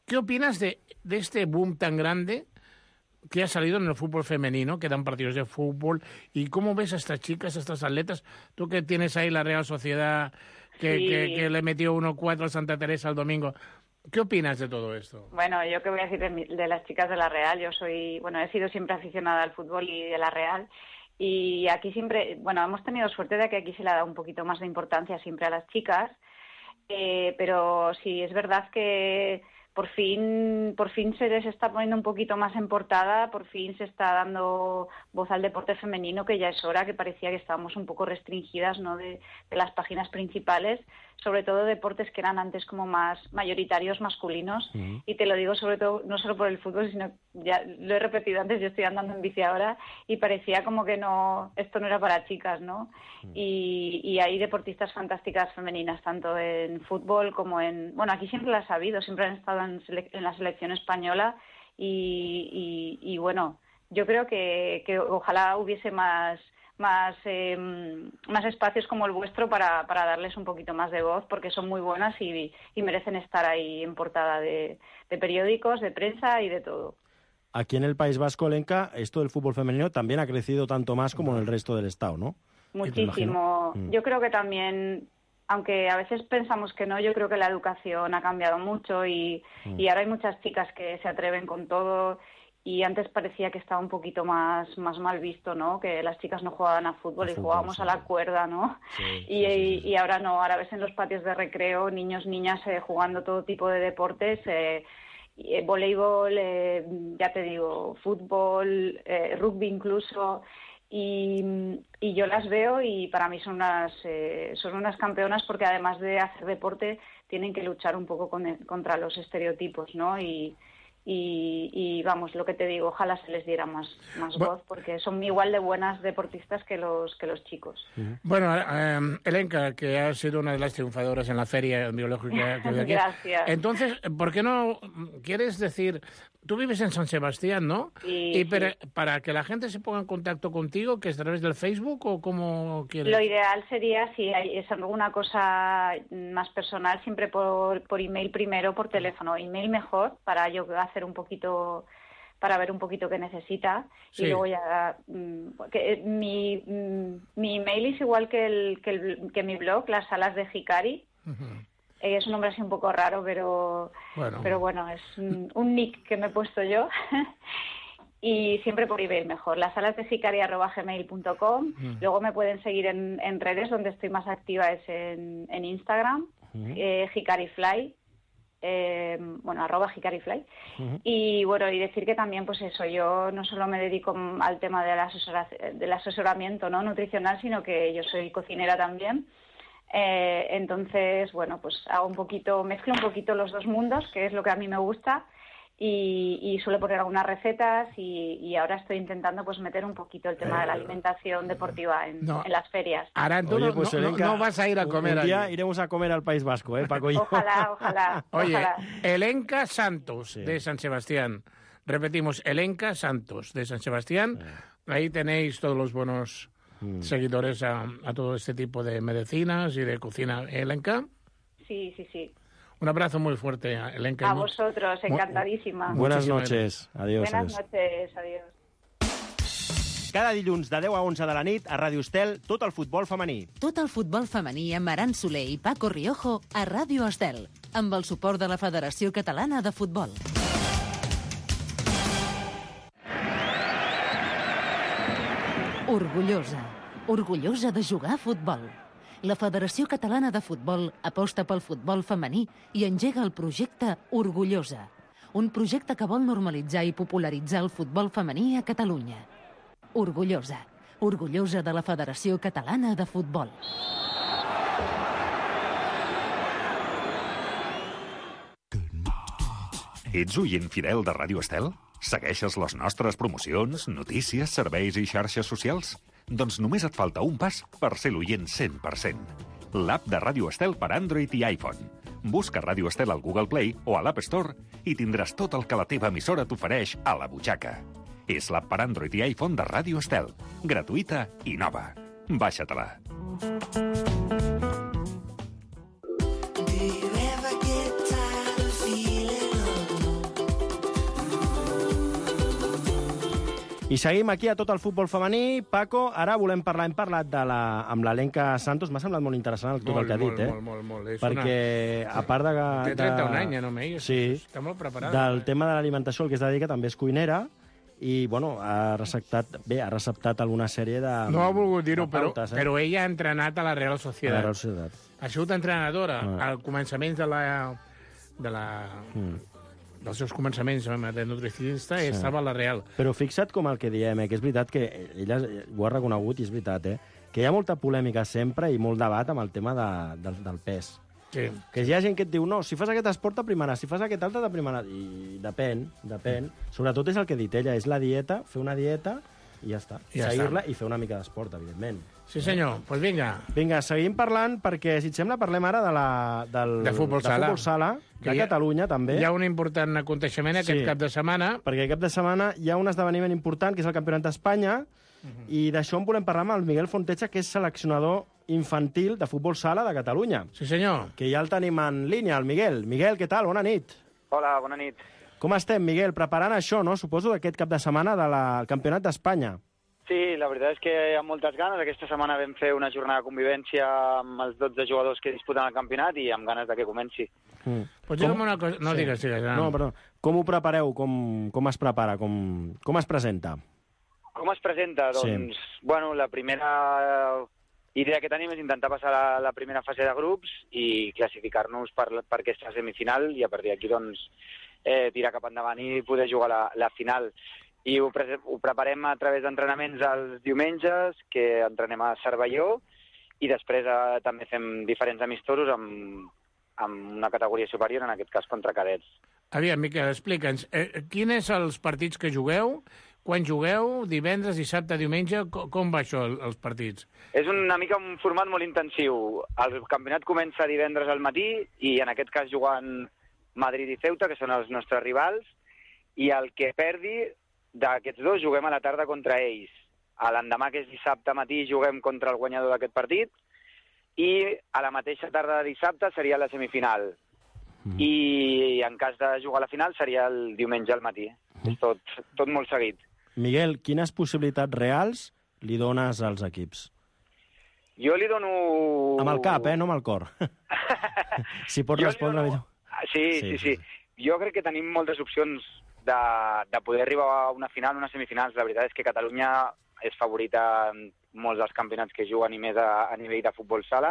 ¿qué opinas de, de este boom tan grande que ha salido en el fútbol femenino, que dan partidos de fútbol? ¿Y cómo ves a estas chicas, a estas atletas? Tú que tienes ahí la Real Sociedad, que, sí. que, que le metió uno cuatro al Santa Teresa el domingo... ¿Qué opinas de todo esto? Bueno, yo qué voy a decir de, mi, de las chicas de la Real. Yo soy, bueno, he sido siempre aficionada al fútbol y de la Real. Y aquí siempre, bueno, hemos tenido suerte de que aquí se le ha dado un poquito más de importancia siempre a las chicas. Eh, pero sí, es verdad que por fin, por fin se les está poniendo un poquito más en portada, por fin se está dando voz al deporte femenino, que ya es hora, que parecía que estábamos un poco restringidas, ¿no?, de, de las páginas principales, sobre todo deportes que eran antes como más mayoritarios masculinos. Uh-huh. Y te lo digo sobre todo, no solo por el fútbol, sino, ya lo he repetido antes, yo estoy andando en bici ahora y parecía como que no, esto no era para chicas, ¿no? Uh-huh. Y, y hay deportistas fantásticas femeninas, tanto en fútbol como en... Bueno, aquí siempre las ha habido, siempre han estado en, sele- en la selección española y, y, y bueno, yo creo que, que ojalá hubiese más... más eh, más espacios como el vuestro para, para darles un poquito más de voz, porque son muy buenas y, y merecen estar ahí en portada de, de periódicos, de prensa y de todo. Aquí en el País Vasco, Elenka, esto del fútbol femenino también ha crecido tanto más como en el resto del Estado, ¿no? Muchísimo. Yo creo que también aunque a veces pensamos que no, yo creo que la educación ha cambiado mucho y, mm. y ahora hay muchas chicas que se atreven con todo y antes parecía que estaba un poquito más, más mal visto, ¿no? Que las chicas no jugaban a fútbol a y fútbol, jugábamos sí. a la cuerda, ¿no? Sí, y, sí, sí, sí. y ahora no, ahora ves en los patios de recreo niños, niñas eh, jugando todo tipo de deportes, eh, eh, voleibol, eh, ya te digo, fútbol, eh, rugby incluso... Y, y yo las veo y para mí son unas, eh, son unas campeonas porque además de hacer deporte tienen que luchar un poco con, contra los estereotipos, ¿no? Y, y, y vamos, lo que te digo, ojalá se les diera más, más voz porque son igual de buenas deportistas que los, que los chicos. Bueno, eh, Elenka, que ha sido una de las triunfadoras en la feria biológica. Que aquí. Gracias. Entonces, ¿por qué no quieres decir... Tú vives en San Sebastián, ¿no? Sí, y para, sí. para que la gente se ponga en contacto contigo, ¿que es a través del Facebook o cómo quieres? Lo ideal sería, si hay, es alguna cosa más personal, siempre por, por email primero, por teléfono. Email mejor, para yo hacer un poquito, para ver un poquito qué necesita. Sí. Y luego ya... Que, mi, mi email es igual que, el, que, el, que mi blog, Las Salas de Hikari. Uh-huh. Es un nombre así un poco raro, pero bueno, pero bueno es un, un nick que me he puesto yo. Y siempre por email mejor, las salas de hikari arroba gmail punto com. Mm. Luego me pueden seguir en, en redes, donde estoy más activa es en, en Instagram, mm. eh, hikarifly, eh, bueno, arroba hikarifly. Mm. Y bueno, y decir que también, pues eso, yo no solo me dedico al tema del, asesora, del asesoramiento, ¿no?, nutricional, sino que yo soy cocinera también. Eh, entonces, bueno, pues hago un poquito, mezclo un poquito los dos mundos, que es lo que a mí me gusta, y, y suelo poner algunas recetas y, y ahora estoy intentando pues meter un poquito el tema de la alimentación deportiva en, no. en las ferias. Ahora tú Oye, pues, no, Elenka, no, no vas a ir a comer. Un día allí. Iremos a comer al País Vasco, ¿eh, Paco? Ojalá, ojalá. Oye, ojalá. Elenka Santos, sí. de San Sebastián. Repetimos, Elenka Santos, de San Sebastián. Sí. Ahí tenéis todos los buenos... seguidores a, a todo este tipo de medicinas y de cocina. Elenka. Sí, sí, sí. Un abrazo muy fuerte, Elenka. A vosotros, encantadísima. Buenas noches. Adiós. Buenas adiós. noches, adiós. Cada dilluns de deu a onze de la nit a Ràdio Estel, tot el futbol femení. Tot el futbol femení amb Aran Soler i Paco Riojo a Ràdio Estel, amb el suport de la Federació Catalana de Futbol. Orgullosa. Orgullosa de jugar a futbol. La Federació Catalana de Futbol aposta pel futbol femení i engega el projecte Orgullosa, un projecte que vol normalitzar i popularitzar el futbol femení a Catalunya. Orgullosa. Orgullosa de la Federació Catalana de Futbol. Ets oient fidel de Ràdio Estel? Segueixes les nostres promocions, notícies, serveis i xarxes socials? Doncs només et falta un pas per ser l'oient cent per cent. L'app de Ràdio Estel per Android i iPhone. Busca Ràdio Estel al Google Play o a l'App Store i tindràs tot el que la teva emissora t'ofereix a la butxaca. És l'app per Android i iPhone de Ràdio Estel. Gratuïta i nova. Baixa-te-la. I seguim aquí a tot el futbol femení. Paco, ara volem parlar, hem parlat de la, amb l'Elenka Santos. M'ha semblat molt interessant tot molt, el que ha dit, molt, eh? Molt, molt, molt. És perquè, una... a part de... Té trenta-un anys, ja no m'he sí, està molt preparada. Del eh? tema de l'alimentació, el que es dedica també és cuinera, i, bueno, ha receptat, bé, ha receptat alguna sèrie de No ha volgut dir-ho, però, pautes, eh? però ella ha entrenat a la Real Sociedad. A la Real Sociedad. Ha sigut entrenadora ah. al començaments de la... De la... Mm. dels seus començaments de nutricionista, sí. Estava a la Real. Però fixa't com el que diem, eh, que és veritat que ella ho ha reconegut i és veritat, eh, que hi ha molta polèmica sempre i molt debat amb el tema de, del, del pes. Sí. Que hi ha gent que et diu, no, si fas aquest esport t'aprimaràs, si fas aquest altre t'aprimaràs. I depèn, depèn. Sobretot és el que ha dit ella, és la dieta, fer una dieta i ja està. Ja seguir-la i fer una mica d'esport, evidentment. Sí, senyor. Doncs pues vinga. Vinga, seguim parlant, perquè, si et sembla, parlem ara de la, del, de futbol de sala. Futbol sala, de ha, Catalunya, també. Hi ha un important aconteixement aquest sí, cap de setmana. Perquè cap de setmana hi ha un esdeveniment important, que és el Campionat d'Espanya, uh -huh. i d'això en volem parlar amb el Miguel Fontecha, que és seleccionador infantil de futbol sala de Catalunya. Sí, senyor. Que ja el tenim en línia, el Miguel. Miguel, què tal? Bona nit. Hola, bona nit. Com estem, Miguel? Preparant això, no? Suposo, d'aquest cap de setmana del Campionat d'Espanya. Sí, la veritat és que hi ha moltes ganes. Aquesta setmana vam fer una jornada de convivència amb els dotze jugadors que disputen el campionat i amb ganes de que comenci. Mm. Pots dir-me una cosa... No, sí. digues, digues. No, perdó. Com ho prepareu? Com, com es prepara? Com, com es presenta? Com es presenta? Doncs, sí. bueno, la primera idea que tenim és intentar passar la, la primera fase de grups i classificar-nos per, per aquesta semifinal i a partir d'aquí, doncs, eh, tirar cap endavant i poder jugar la, la final. I ho, pre ho preparem a través d'entrenaments els diumenges, que entrenem a Cervelló, i després eh, també fem diferents amistosos amb, amb una categoria superior, en aquest cas contra cadets. Aviam, Miquel, explica'ns, eh, quins són els partits que jugueu, quan jugueu, divendres, dissabte, diumenge, com, com va això, els partits? És una mica un format molt intensiu. El campionat comença divendres al matí i en aquest cas jugant Madrid i Ceuta, que són els nostres rivals, i el que perdi d'aquests dos juguem a la tarda contra ells. A l'endemà, que és dissabte matí, juguem contra el guanyador d'aquest partit i a la mateixa tarda de dissabte seria la semifinal. Mm. I en cas de jugar a la final seria el diumenge al matí. Mm. És tot, tot molt seguit. Miguel, quines possibilitats reals li dones als equips? Jo li dono... Amb el cap, eh? No amb el cor. Si pots respondre millor. Sí, sí, sí, sí. Jo crec que tenim moltes opcions De, de poder arribar a una final, unes semifinals. La veritat és que Catalunya és favorita en molts dels campionats que juguen i més a, a nivell de futbol sala,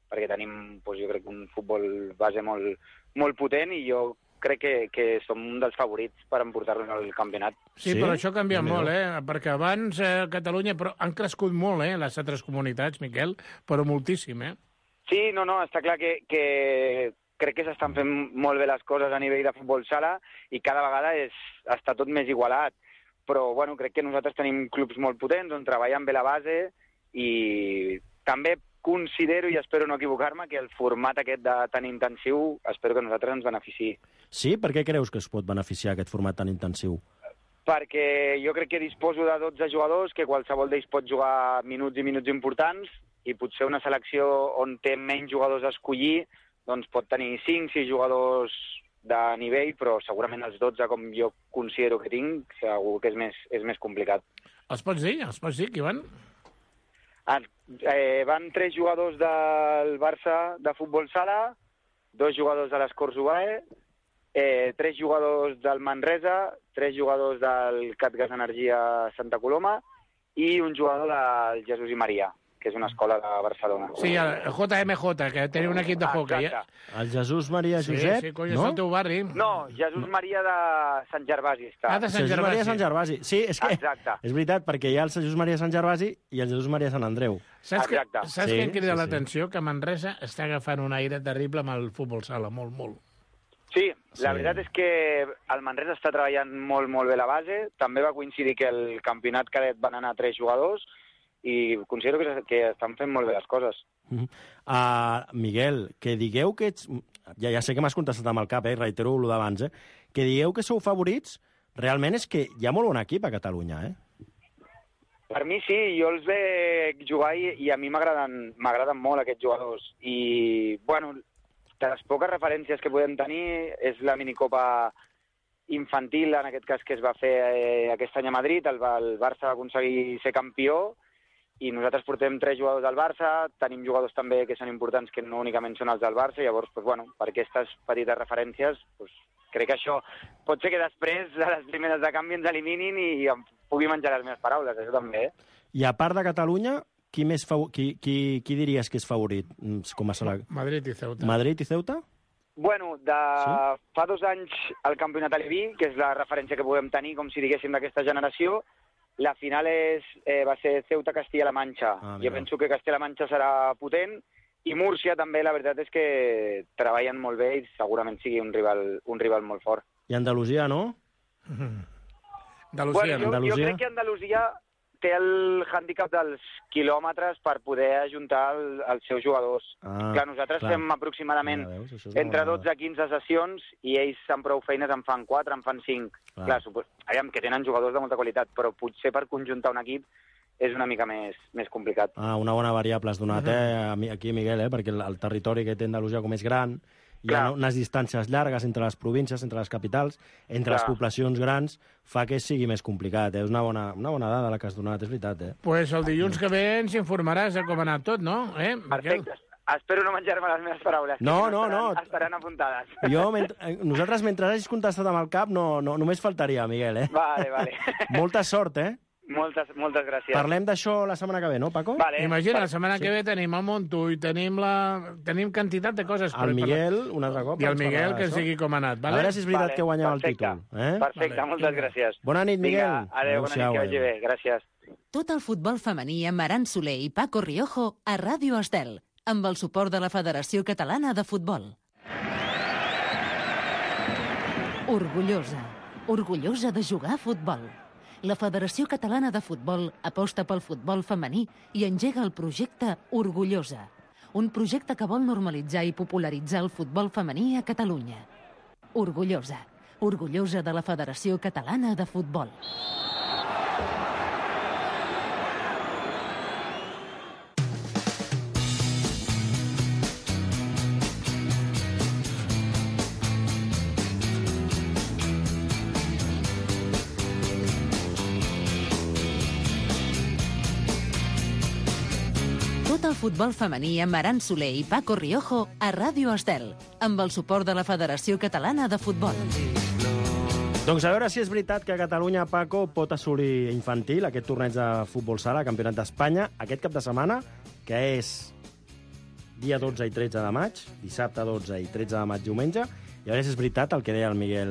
perquè tenim, doncs, jo crec, un futbol base molt, molt potent i jo crec que, que som un dels favorits per emportar-nos al campionat. Sí, sí, però això ha canviat molt, eh? Perquè abans eh, Catalunya però han crescut molt, eh, les altres comunitats, Miquel, però moltíssim, eh? Sí, no, no, està clar que... que... crec que s'estan fent molt bé les coses a nivell de futbol sala i cada vegada és, està tot més igualat. Però, bueno, crec que nosaltres tenim clubs molt potents on treballen bé la base i també considero, i espero no equivocar-me, que el format aquest de tan intensiu espero que a nosaltres ens beneficiï. Sí? Per què creus que es pot beneficiar aquest format tan intensiu? Perquè jo crec que disposo de dotze jugadors, que qualsevol d'ells pot jugar minuts i minuts importants, i potser una selecció on té menys jugadors a escollir doncs pot tenir cinc sis jugadors de nivell, però segurament els dotze, com jo considero que tinc, segur que és més, és més complicat. Els pots dir? Els pots dir, qui van? Ah, eh, van tres jugadors del Barça de futbol sala, dos jugadors de l'Escorts Ubae, eh, tres jugadors del Manresa, tres jugadors del Catgas Energia Santa Coloma i un jugador del Jesús i Maria, que és una escola de Barcelona. Sí, el J M J, que tenia un equip de hockey. Ja. El Jesús Maria Josep, sí, sí, cony, no? És el teu barri. No, Jesús Maria de Sant Gervasi està. Ah, de Sant Jesús Gervasi. Maria Sant Gervasi. Sí, és que Exacte. és veritat, perquè hi ha el Jesús Maria Sant Gervasi i el Jesús Maria Sant Andreu. Saps, que, Exacte. saps Sí, què em crida sí, sí. l'atenció? Que Manresa està agafant un aire terrible amb el futbol sala, molt, molt. Sí, la Sí. veritat és que el Manresa està treballant molt, molt bé la base. També va coincidir que el campionat cadet van anar tres jugadors i considero que, que estan fent molt bé les coses. Uh -huh. uh, Miguel, que digueu que ets... Ja, ja sé que m'has contestat amb el cap, eh? Reitero el d'abans, eh? Que digueu que sou favorits, realment és que hi ha molt bon equip a Catalunya, eh? Per mi sí, jo els veig jugar i, i a mi m'agraden m'agraden molt aquests jugadors. I, bueno, de les poques referències que podem tenir és la minicopa infantil, en aquest cas, que es va fer eh, aquest any a Madrid. El, el Barça va aconseguir ser campió i nosaltres portem tres jugadors del Barça, tenim jugadors també que són importants que no únicament són els del Barça, i llavors, doncs, bueno, per aquestes petites referències, doncs, crec que això pot ser que després de les primeres de canvi ens eliminin i em pugui menjar les meves paraules, això també, eh? I a part de Catalunya, qui, més fa... qui, qui, qui diries que és favorit? Com a sala... Madrid i Ceuta. Madrid i Ceuta? Bueno, de sí? fa dos anys el campionat Aleví, que és la referència que podem tenir, com si diguéssim, d'aquesta generació, la final és, eh, va ser Ceuta-Castilla-La Manxa. Ah, jo penso que Castilla-La Manxa serà potent, i Múrcia també, la veritat és que treballen molt bé i segurament sigui un rival, un rival molt fort. I Andalusia, no? Andalusia, bueno, jo, Andalusia. jo crec que Andalusia té el hàndicap dels quilòmetres per poder ajuntar el, els seus jugadors. Ah, clar, nosaltres clar. fem aproximadament Ja veus, entre dotze i quinze sessions i ells amb prou feines en fan quatre, en fan cinc. Clar. Clar, supos... Aviam, que tenen jugadors de molta qualitat, però potser per conjuntar un equip és una mica més, més complicat. Ah, una bona variable has donat, eh, aquí, Miguel, eh, perquè el, el territori que té Andalusia com és gran hi ha unes distàncies llargues entre les províncies, entre les capitals, entre les poblacions grans, fa que sigui més complicat. És una bona, una bona dada la que has donat, és veritat. Eh? Pues el dilluns que ve ens informaràs de com ha anat tot, no? Eh? Perfecte. Espero no menjar-me les meves paraules. No, no, estaran, no. Estaran apuntades. Jo, mentre, nosaltres, mentre hagis contestat amb el cap, no, no, només faltaria, Miguel, eh? Vale, vale. Molta sort, eh? Moltes, moltes gràcies. Parlem d'això la setmana que ve, no, Paco? Vale. Imagina, la setmana sí. que ve tenim el Montull, tenim, la... tenim quantitat de coses. El Miguel, un altre cop. I el Miguel, que ens digui com ha anat. Vale? A veure si és veritat vale. que guanyava Perfecte. el títol. Eh? Perfecte, vale. moltes gràcies. Bona nit, Miguel. Vinga, adéu, bona nit, que vagi bé. Gràcies. Tot el futbol femení amb Aran Soler i Paco Riojo a Ràdio Estel, amb el suport de la Federació Catalana de Futbol. Orgullosa, orgullosa de jugar a futbol. La Federació Catalana de Futbol aposta pel futbol femení i engega el projecte Orgullosa, un projecte que vol normalitzar i popularitzar el futbol femení a Catalunya. Orgullosa, orgullosa de la Federació Catalana de Futbol. Tot el futbol femení amb Aran Soler i Paco Riojo a Ràdio Estel, amb el suport de la Federació Catalana de Futbol. Doncs a veure si és veritat que Catalunya, Paco, pot assolir infantil aquest torneig de futbol sala, Campionat d'Espanya, aquest cap de setmana, que és dia dotze i tretze de maig, dissabte dotze i tretze de maig, diumenge, i a veure si és veritat el que deia el Miguel,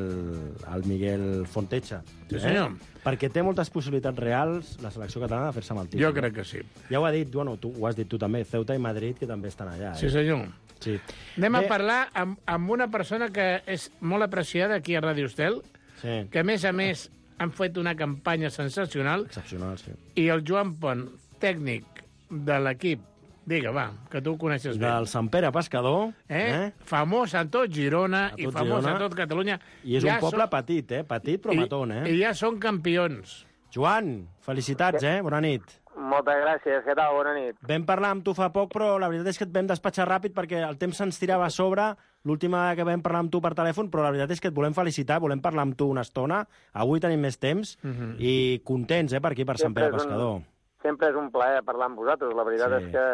el Miguel Fontecha. Sí, senyor. Eh? Perquè té moltes possibilitats reals la selecció catalana de fer-se amb el títol. Jo crec que sí. Ja ho ha dit, bueno, tu, ho has dit tu també, Ceuta i Madrid, que també estan allà. Eh? Sí, senyor. Sí. Anem Bé, a parlar amb, amb una persona que és molt apreciada aquí a Ràdio Estel, sí. que a més a més han fet una campanya sensacional. Excepcional, sí. I el Joan Pont, tècnic de l'equip, digue, va, que tu ho coneixes bé. Del Sant Pere Pescador. Eh? eh? Famós a tot Girona a tot i famós Girona. a tot Catalunya. I és ja un poble són... petit, eh? Petit però matón, eh? I ja són campions. Joan, felicitats, eh? Bona nit. Moltes gràcies, què tal? Bona nit. Vam parlar amb tu fa poc, però la veritat és que et vam despatxar ràpid perquè el temps se'ns tirava a sobre l'última vegada que vam parlar amb tu per telèfon, però la veritat és que et volem felicitar, volem parlar amb tu una estona. Avui tenim més temps uh -huh. i contents, eh, per aquí, per Sant Pere Pescador. Un, sempre és un plaer parlar amb vosaltres. La veritat sí. és que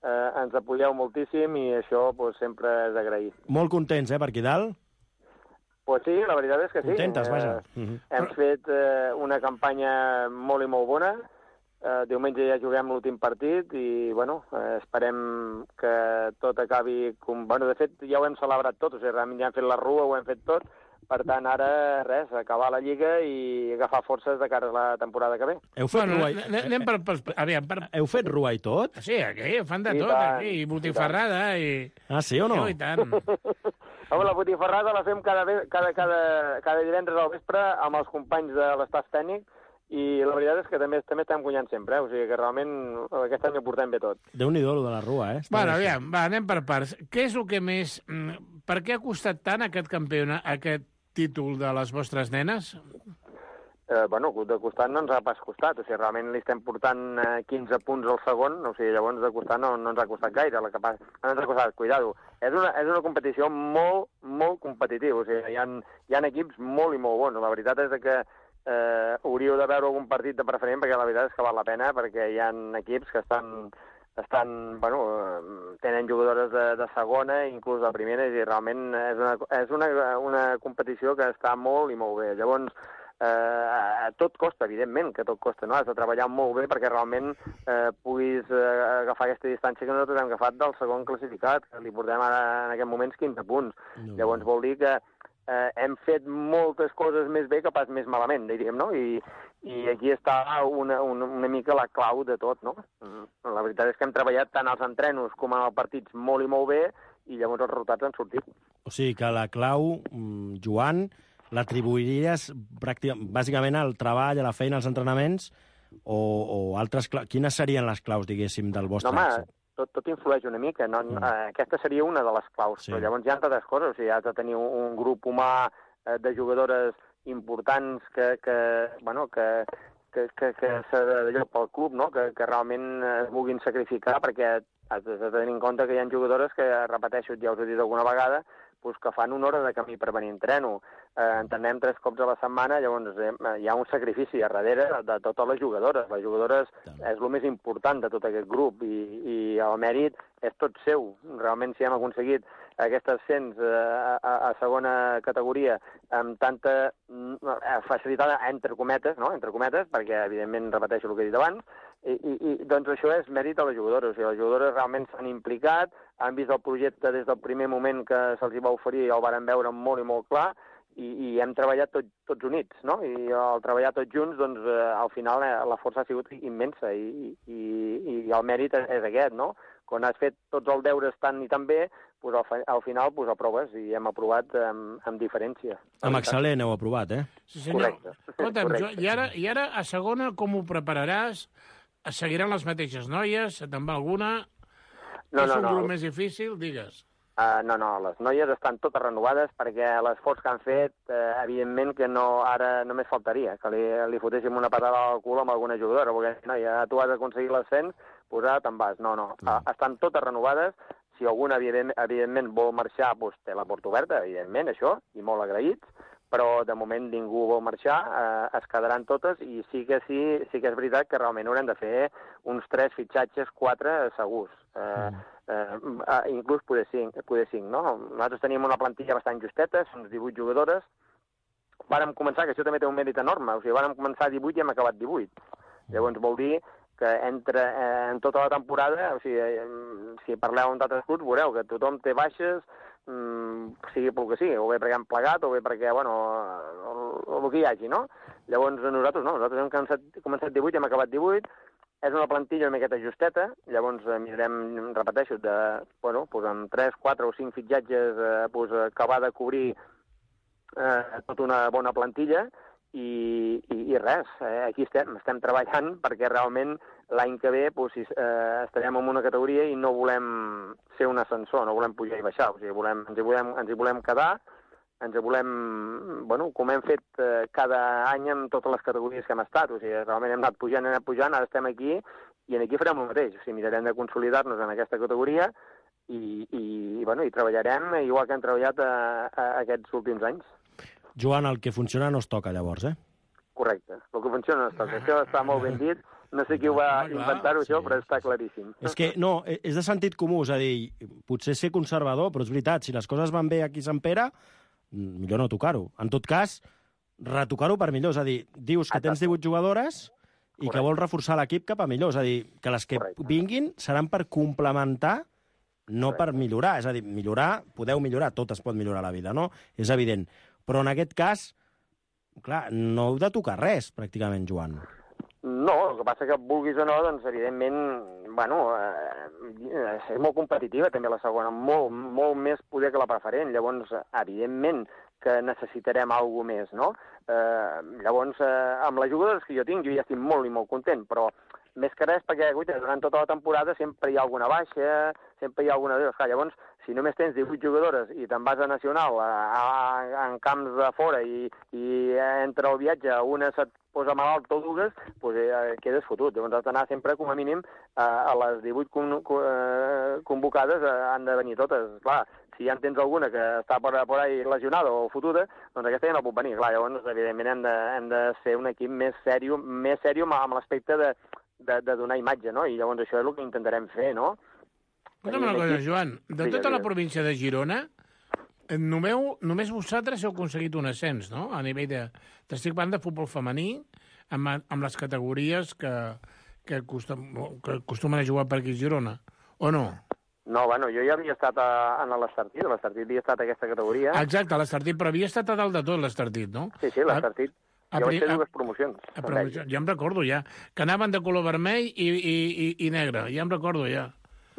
eh, ens apoyeu moltíssim i això pues, sempre és d'agrair. Molt contents, eh, per aquí dalt? Pues sí, la veritat és que sí. Contentes, vaja. Eh, uh -huh. Hem fet eh, una campanya molt i molt bona. Eh, diumenge ja juguem l'últim partit i, bueno, eh, esperem que tot acabi... Com... Bueno, de fet, ja ho hem celebrat tot, o sigui, realment ja hem fet la rua, ho hem fet tot. Per tant, ara, res, acabar la Lliga i agafar forces de cara a la temporada que ve. Heu fet bueno, rua i... Anem per, per, aviam, per... Heu fet rua i tot? Sí, aquí fan de I tot, tant, aquí, i i botifarrada, i... Ah, sí o no? Sí, i tant. Home, la botifarrada la fem cada, cada, cada, cada divendres al vespre amb els companys de l'estaf tècnic i la veritat és que també, també estem guanyant sempre, eh? O sigui que realment aquest any ho portem bé tot. Déu-n'hi-do, lo de la rua, eh? Està Bueno, bé, aviam, va, anem per parts. Què és el que més... Per què ha costat tant aquest campionat, aquest títol de les vostres nenes? Eh, bueno, de costat no ens ha pas costat, o sigui, realment li estem portant eh, quinze punts al segon, o sigui, llavors de costat no, no ens ha costat gaire, la capa... no ens ha costat, cuidado. És una, és una competició molt, molt competitiva, o sigui, hi ha, hi ha equips molt i molt bons. La veritat és que eh, hauríeu de veure algun partit de preferent, perquè la veritat és que val la pena, perquè hi ha equips que estan, estan bueno, tenen jugadores de, de segona, inclús de primera, i realment és una, és una, una competició que està molt i molt bé. Llavors, Eh, tot costa, evidentment que tot costa, no? Has de treballar molt bé perquè realment eh, puguis eh, agafar aquesta distància que nosaltres hem agafat del segon classificat, que li portem ara en aquests moments quinze punts. No. Llavors vol dir que eh, hem fet moltes coses més bé que pas més malament, diríem, no? I, i aquí està una, una, una mica la clau de tot, no? La veritat és que hem treballat tant als entrenos com als partits molt i molt bé i llavors els resultats han sortit. O sigui que la clau, Joan, l'atribuiries bàsicament al treball, a la feina, als entrenaments, o, o altres claus? Quines serien les claus, diguéssim, del vostre no, home, èxit? Tot, tot influeix una mica. No? Mm. Eh, aquesta seria una de les claus, sí. Però llavors hi ha altres coses. O sigui, has de tenir un, un grup humà eh, de jugadores importants que, que, bueno, que, que, que, que s'adallò pel club, no? que, que realment es vulguin sacrificar, perquè has de tenir en compte que hi ha jugadores que, repeteixo, ja us he dit alguna vegada, pues, que fan una hora de camí per venir a entreno. Eh, entrenem tres cops a la setmana, llavors eh, hi ha un sacrifici a darrere de totes les jugadores. Les jugadores és el més important de tot aquest grup i, i el mèrit és tot seu. Realment, si hem aconseguit aquest ascens eh, a, a segona categoria amb tanta eh, facilitat, entre cometes, no? entre cometes, perquè, evidentment, repeteixo el que he dit abans, i, i, i doncs això és mèrit de les jugadores. O sigui, les jugadores realment s'han implicat, han vist el projecte des del primer moment que se'ls va oferir, el varen veure molt i molt clar, i, i hem treballat tot, tots units, no? I al treballar tots junts, doncs, eh, al final eh, la força ha sigut immensa i, i, i el mèrit és, és aquest, no? Quan has fet tots els deures tan i tan bé, doncs al, al final doncs, aproves, i hem aprovat amb, amb diferència. Amb excel·lent heu aprovat, eh? Sí, senyor. Correcte. Escolta'm, Correcte. jo, i, ara, I ara, a segona, com ho prepararàs? Seguiran les mateixes noies? Te'n va alguna? No, és no, un no. grup més difícil? Digues. Uh, no, no, les noies estan totes renovades perquè l'esforç que han fet, uh, evidentment que no, ara només faltaria que li, li fotéssim una patada al cul amb alguna jugadora, perquè no, ja tu has aconseguit l'ascens, pues ara te'n vas. No, no, uh, estan totes renovades. Si alguna, evidentment, evidentment vol marxar, doncs té la porta oberta, evidentment, això, i molt agraïts, però de moment ningú vol marxar, eh, es quedaran totes, i sí que sí, sí que és veritat que realment haurem de fer uns tres fitxatges, quatre segurs. Eh, eh, eh, inclús poder cinc, poder cinc, no? Nosaltres teníem una plantilla bastant justeta, són divuit jugadores. Vàrem començar, que això també té un mèrit enorme, o sigui, vàrem començar divuit i hem acabat divuit. Llavors vol dir que entre, eh, en tota la temporada, o sigui, eh, si parleu amb d'altres clubs, veureu que tothom té baixes, mm, sigui pel que sigui, o bé perquè han plegat, o bé perquè, bueno, el, el, el que hi hagi, no? Llavors nosaltres no, nosaltres hem començat, començat divuit i hem acabat divuit, és una plantilla una miqueta justeta, llavors eh, mirarem, repeteixo, de, bueno, pues amb tres, quatre o cinc fitxatges eh, pues, acabar de cobrir eh, tota una bona plantilla, i, i, i res, eh, aquí estem, estem treballant perquè realment l'any que ve pues, si, eh, estarem en una categoria i no volem ser un ascensor, no volem pujar i baixar, o sigui, volem, ens, hi volem, ens hi volem quedar, ens hi volem, bueno, com hem fet eh, cada any amb totes les categories que hem estat, o sigui, realment hem anat pujant, hem anat pujant, ara estem aquí, i aquí farem el mateix, o sigui, mirarem de consolidar-nos en aquesta categoria i, i, bueno, i treballarem igual que hem treballat a, a aquests últims anys. Joan, el que funciona no es toca, llavors, eh? Correcte. El que funciona no es toca. Això està molt ben dit. No sé qui ho va inventar-ho, això, però està claríssim. És que, no, és de sentit comú, és a dir, potser ser conservador, però és veritat, si les coses van bé aquí a Sant Pere, millor no tocar-ho. En tot cas, retocar-ho per millor. És a dir, dius que tens divuit jugadores i que vols reforçar l'equip cap a millor. És a dir, que les que vinguin seran per complementar, no per millorar. És a dir, millorar, podeu millorar, tot es pot millorar a la vida, no? És evident. Però en aquest cas, clar, no heu de tocar res, pràcticament, Joan. No, el que passa que vulguis o no, doncs, evidentment, bueno, eh, és molt competitiva també la segona, molt, molt més poder que la preferent. Llavors, evidentment que necessitarem alguna més, no? Eh, llavors, eh, amb les jugadores que jo tinc, jo ja estic molt i molt content, però més que res perquè, guaita, durant tota la temporada sempre hi ha alguna baixa, sempre hi ha alguna... Esclar, llavors, si només tens divuit jugadores i te'n vas a Nacional, a, a, en camps de fora, i, i entre el viatge una se't posa malalt o dues, doncs eh, quedes fotut. Llavors has d'anar sempre, com a mínim, a, a les divuit con, con, eh, convocades eh, han de venir totes. Clar, si ja en tens alguna que està per, per ahí lesionada o fotuda, doncs aquesta ja no pot venir. Clar, llavors, evidentment, hem de, hem de ser un equip més sèrio, més sèrio amb l'aspecte de, de, de donar imatge, no? I llavors això és el que intentarem fer, no? Escolta'm una cosa, Joan, de tota la província de Girona, nomeu, només vosaltres heu aconseguit un ascens, no? A nivell de... T'estic parlant de futbol femení, amb, amb les categories que, que, costum, que acostumen a jugar per aquí a Girona, o no? No, bueno, jo ja havia estat a, a l'Estartit, a l'Estartit havia estat a aquesta categoria. Exacte, a l'Estartit, però havia estat a dalt de tot l'Estartit, no? Sí, sí, l'Estartit. Jo vaig fer dues promocions. A, a, ja em recordo, ja. Que anaven de color vermell i, i, i, i negre, ja em recordo, ja.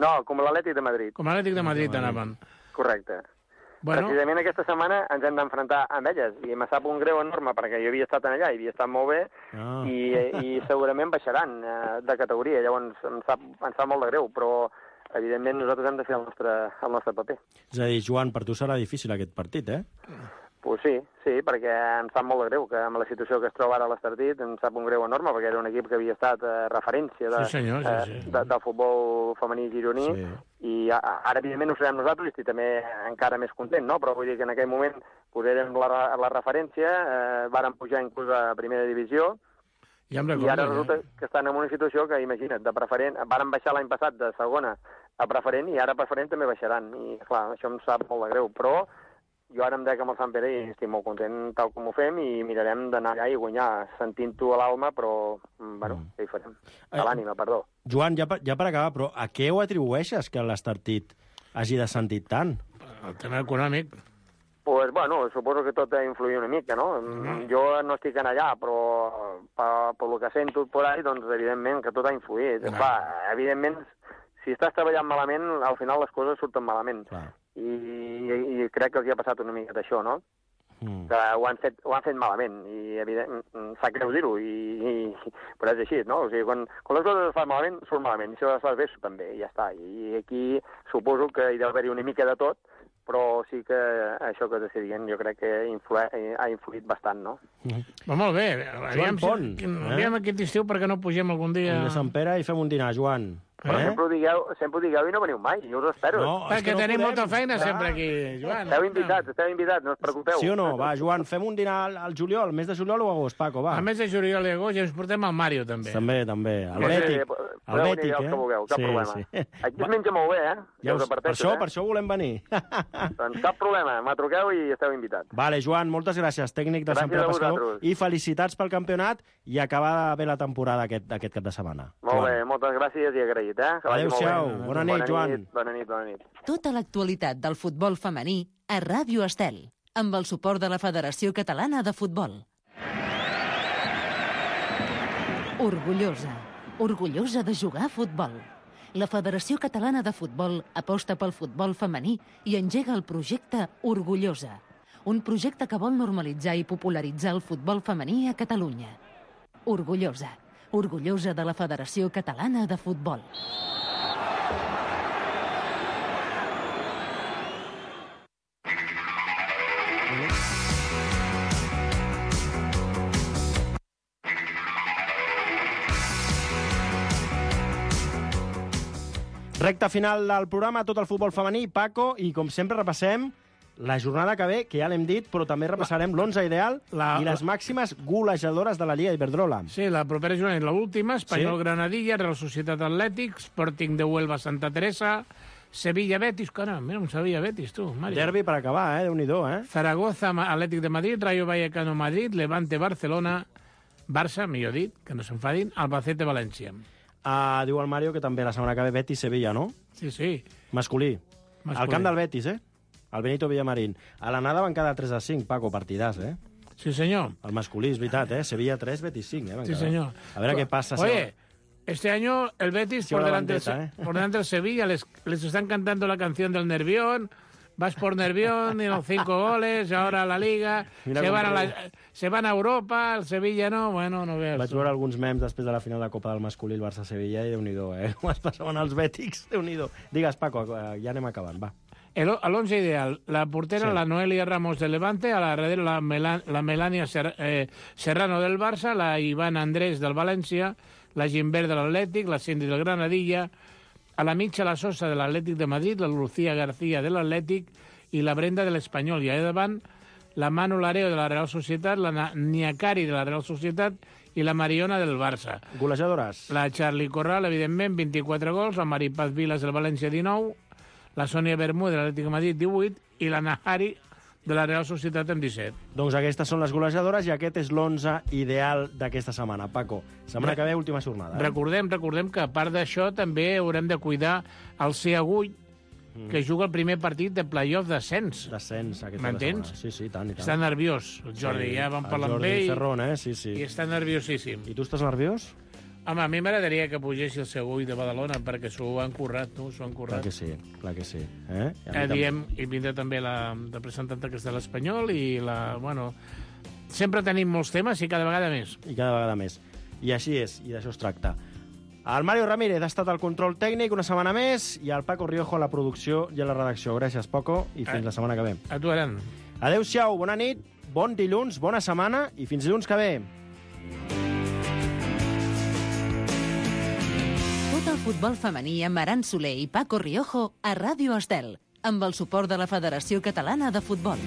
No, com l'Atlètic de Madrid. Com l'Atlètic de Madrid anaven. Correcte. Bueno. Precisament aquesta setmana ens hem d'enfrontar amb elles, i me sap un greu enorme perquè jo havia estat allà i havia estat molt bé, ah. i, i segurament baixaran eh, de categoria, llavors em sap, em sap molt de greu, però evidentment nosaltres hem de fer el nostre, el nostre paper. És a dir, Joan, per tu serà difícil aquest partit, eh? Pues sí, sí, perquè em sap molt de greu que amb la situació que es troba ara a l'Estartit em sap un greu enorme, perquè era un equip que havia estat eh, referència de, sí, senyor, sí, sí. Eh, de, del futbol femení gironí, sí. I ara, evidentment, ho serem nosaltres i estic també encara més content, no? Però vull dir que en aquell moment pues, érem la, la referència, eh, vàrem pujar inclús a primera divisió, ja i ara resulta ja. que estan en una situació que, imagina't, de preferent, vàrem baixar l'any passat de segona a preferent, i ara a preferent també baixaran, i clar, això em sap molt de greu, però jo ara em dec amb el Sant Pere i estic molt content tal com ho fem i mirarem d'anar allà i guanyar sentint-ho a l'alma, però, bueno, mm. què hi farem? A l'ànima, perdó. Joan, ja per, ja per acabar, però a què ho atribueixes que l'Estartit hagi de sentit tant? El tema econòmic. Pues, bueno, suposo que tot ha influït una mica, no? Mm. Jo no estic en allà, però per, per el que sento por ahí, doncs, evidentment, que tot ha influït. Mm. Clar, evidentment, si estàs treballant malament, al final les coses surten malament. Clar. I, i, i crec que els hi ha passat una mica d'això, no? Mm. Que ho han, fet, ho han fet malament, i evident, sap greu dir-ho, i, i, però és així, no? O sigui, quan, quan les coses es fan malament, surt malament, i si les fas bé, també, i ja està. I aquí suposo que hi deu haver-hi una mica de tot, però sí que això que t'estic dient jo crec que influ ha influït bastant, no? Mm. Però molt bé, aviam, Pont, si, eh? aviam aquest estiu perquè no pugem algun dia... De Sant Pere i fem un dinar, Joan. Però eh? sempre, ho digueu, sempre ho digueu i no veniu mai, jo us espero. No, perquè no tenim podem, molta feina clar. sempre aquí, Joan. Esteu invitats, esteu invitats, no us preocupeu. Sí o no? Va, Joan, fem un dinar al, al juliol, al mes de juliol o agost, Paco, va. Al mes de juliol i agost ja ens portem al Mario, també. També, també. El Bètic. El Bètic, eh? Que vulgueu, cap sí, problema. Sí. Aquí es menja molt bé, eh? Ja us, per això, eh? per això volem venir. Doncs cap problema, me truqueu i esteu invitats. Vale, Joan, moltes gràcies, tècnic de Sant Pere Pescador, i felicitats pel campionat i acabar bé la temporada aquest, aquest cap de setmana. Molt bé, moltes gràcies i agraït, eh? Adéu-siau. Bona nit, Joan. Bona nit, bona nit. Tota l'actualitat del futbol femení a Ràdio Estel, amb el suport de la Federació Catalana de Futbol. Orgullosa, orgullosa de jugar a futbol. La Federació Catalana de Futbol aposta pel futbol femení i engega el projecte Orgullosa, un projecte que vol normalitzar i popularitzar el futbol femení a Catalunya. Orgullosa, orgullosa de la Federació Catalana de Futbol. Recta final del programa, tot el futbol femení, Paco, i com sempre repassem la jornada que ve, que ja l'hem dit, però també repassarem l'onze ideal la, i les màximes golejadores de la Lliga Iberdrola. Sí, la propera jornada és l'última, Espanyol sí? Granadilla, Real Societat Atlètic, Sporting de Huelva Santa Teresa, Sevilla Betis, caram, mira un Sevilla Betis, tu, Mario. Derbi per acabar, eh, Déu-n'hi-do, eh? Zaragoza, Atlètic de Madrid, Rayo Vallecano Madrid, Levante Barcelona, Barça, millor dit, que no s'enfadin, Albacete València. Uh, diu el Mario que també la setmana que ve Betis-Sevilla, no? Sí, sí. Masculí. Masculí. Al camp del Betis, eh? El Benito Villamarín. A l'anada van quedar tres a cinc, Paco, partidàs, eh? Sí, senyor. El masculí, és veritat, eh? Sevilla tres, Betis cinc, eh? Van sí, quedar. senyor. A veure què passa. Oye, este año el Betis por delante, bandeta, eh? por delante del Sevilla les, les están cantando la canción del Nervión. Vas por Nervión y los cinco goles, ahora a la Liga, se van a, la, se van a Europa, el Sevilla no, bueno, no veus. Vaig veure alguns memes després de la final de Copa del Masculí, el Barça-Sevilla, i Déu-n'hi-do, eh? Com es passaven els bètics, Déu-n'hi-do. Digues, Paco, ja anem acabant, va. El, el once ideal, la portera, sí. La Noelia Ramos del Levante, a la darrere la, Melan, la Melania Ser, eh, Serrano del Barça, la Ivana Andrés del València, la Gimbert de l'Atlètic, la Cindy del Granadilla, a la mitja la Sosa de l'Atlètic de Madrid, la Lucía García de l'Atlètic i la Brenda de l'Espanyol. I allà davant la Manu Lareo de la Real Societat, la Niakari de la Real Societat i la Mariona del Barça. Golejadores. La Charlie Corral, evidentment, vint-i-quatre gols, la Maripaz Vilas del València, dinou, la Sònia Bermú de l'Atlètic de Madrid, divuit, i la Nahari de la Real Societat amb disset. Doncs aquestes són les golejadores i aquest és l'onze ideal d'aquesta setmana. Paco, setmana que ve, última jornada. Eh? Recordem, recordem que a part d'això també haurem de cuidar el C Agull, mm. que juga el primer partit de playoff d'ascens. D'ascens, aquesta m'entens? setmana. Sí, sí, tant i tant. Està nerviós, el Jordi, sí, ja vam parlar amb ell. Ferron, eh? Sí, sí. I està nerviosíssim. I tu estàs nerviós? Home, a mi m'agradaria que pugés el Segull de Badalona, perquè s'ho han currat, no? S'ho han currat. Clar que sí, clar que sí. Eh? Eh, diem, I vindrà també la representant que és de l'Espanyol i la... Bueno, sempre tenim molts temes i cada vegada més. I cada vegada més. I així és, i d'això es tracta. El Mario Ramírez ha estat al control tècnic una setmana més i el Paco Riojo a la producció i a la redacció. Gràcies, Paco, i fins a, la setmana que ve. A tu, Aran. Adéu-siau, bona nit, bon dilluns, bona setmana i fins dilluns que ve. Tot el futbol femení amb Aran Soler i Paco Riojo a Ràdio Estel, amb el suport de la Federació Catalana de Futbol.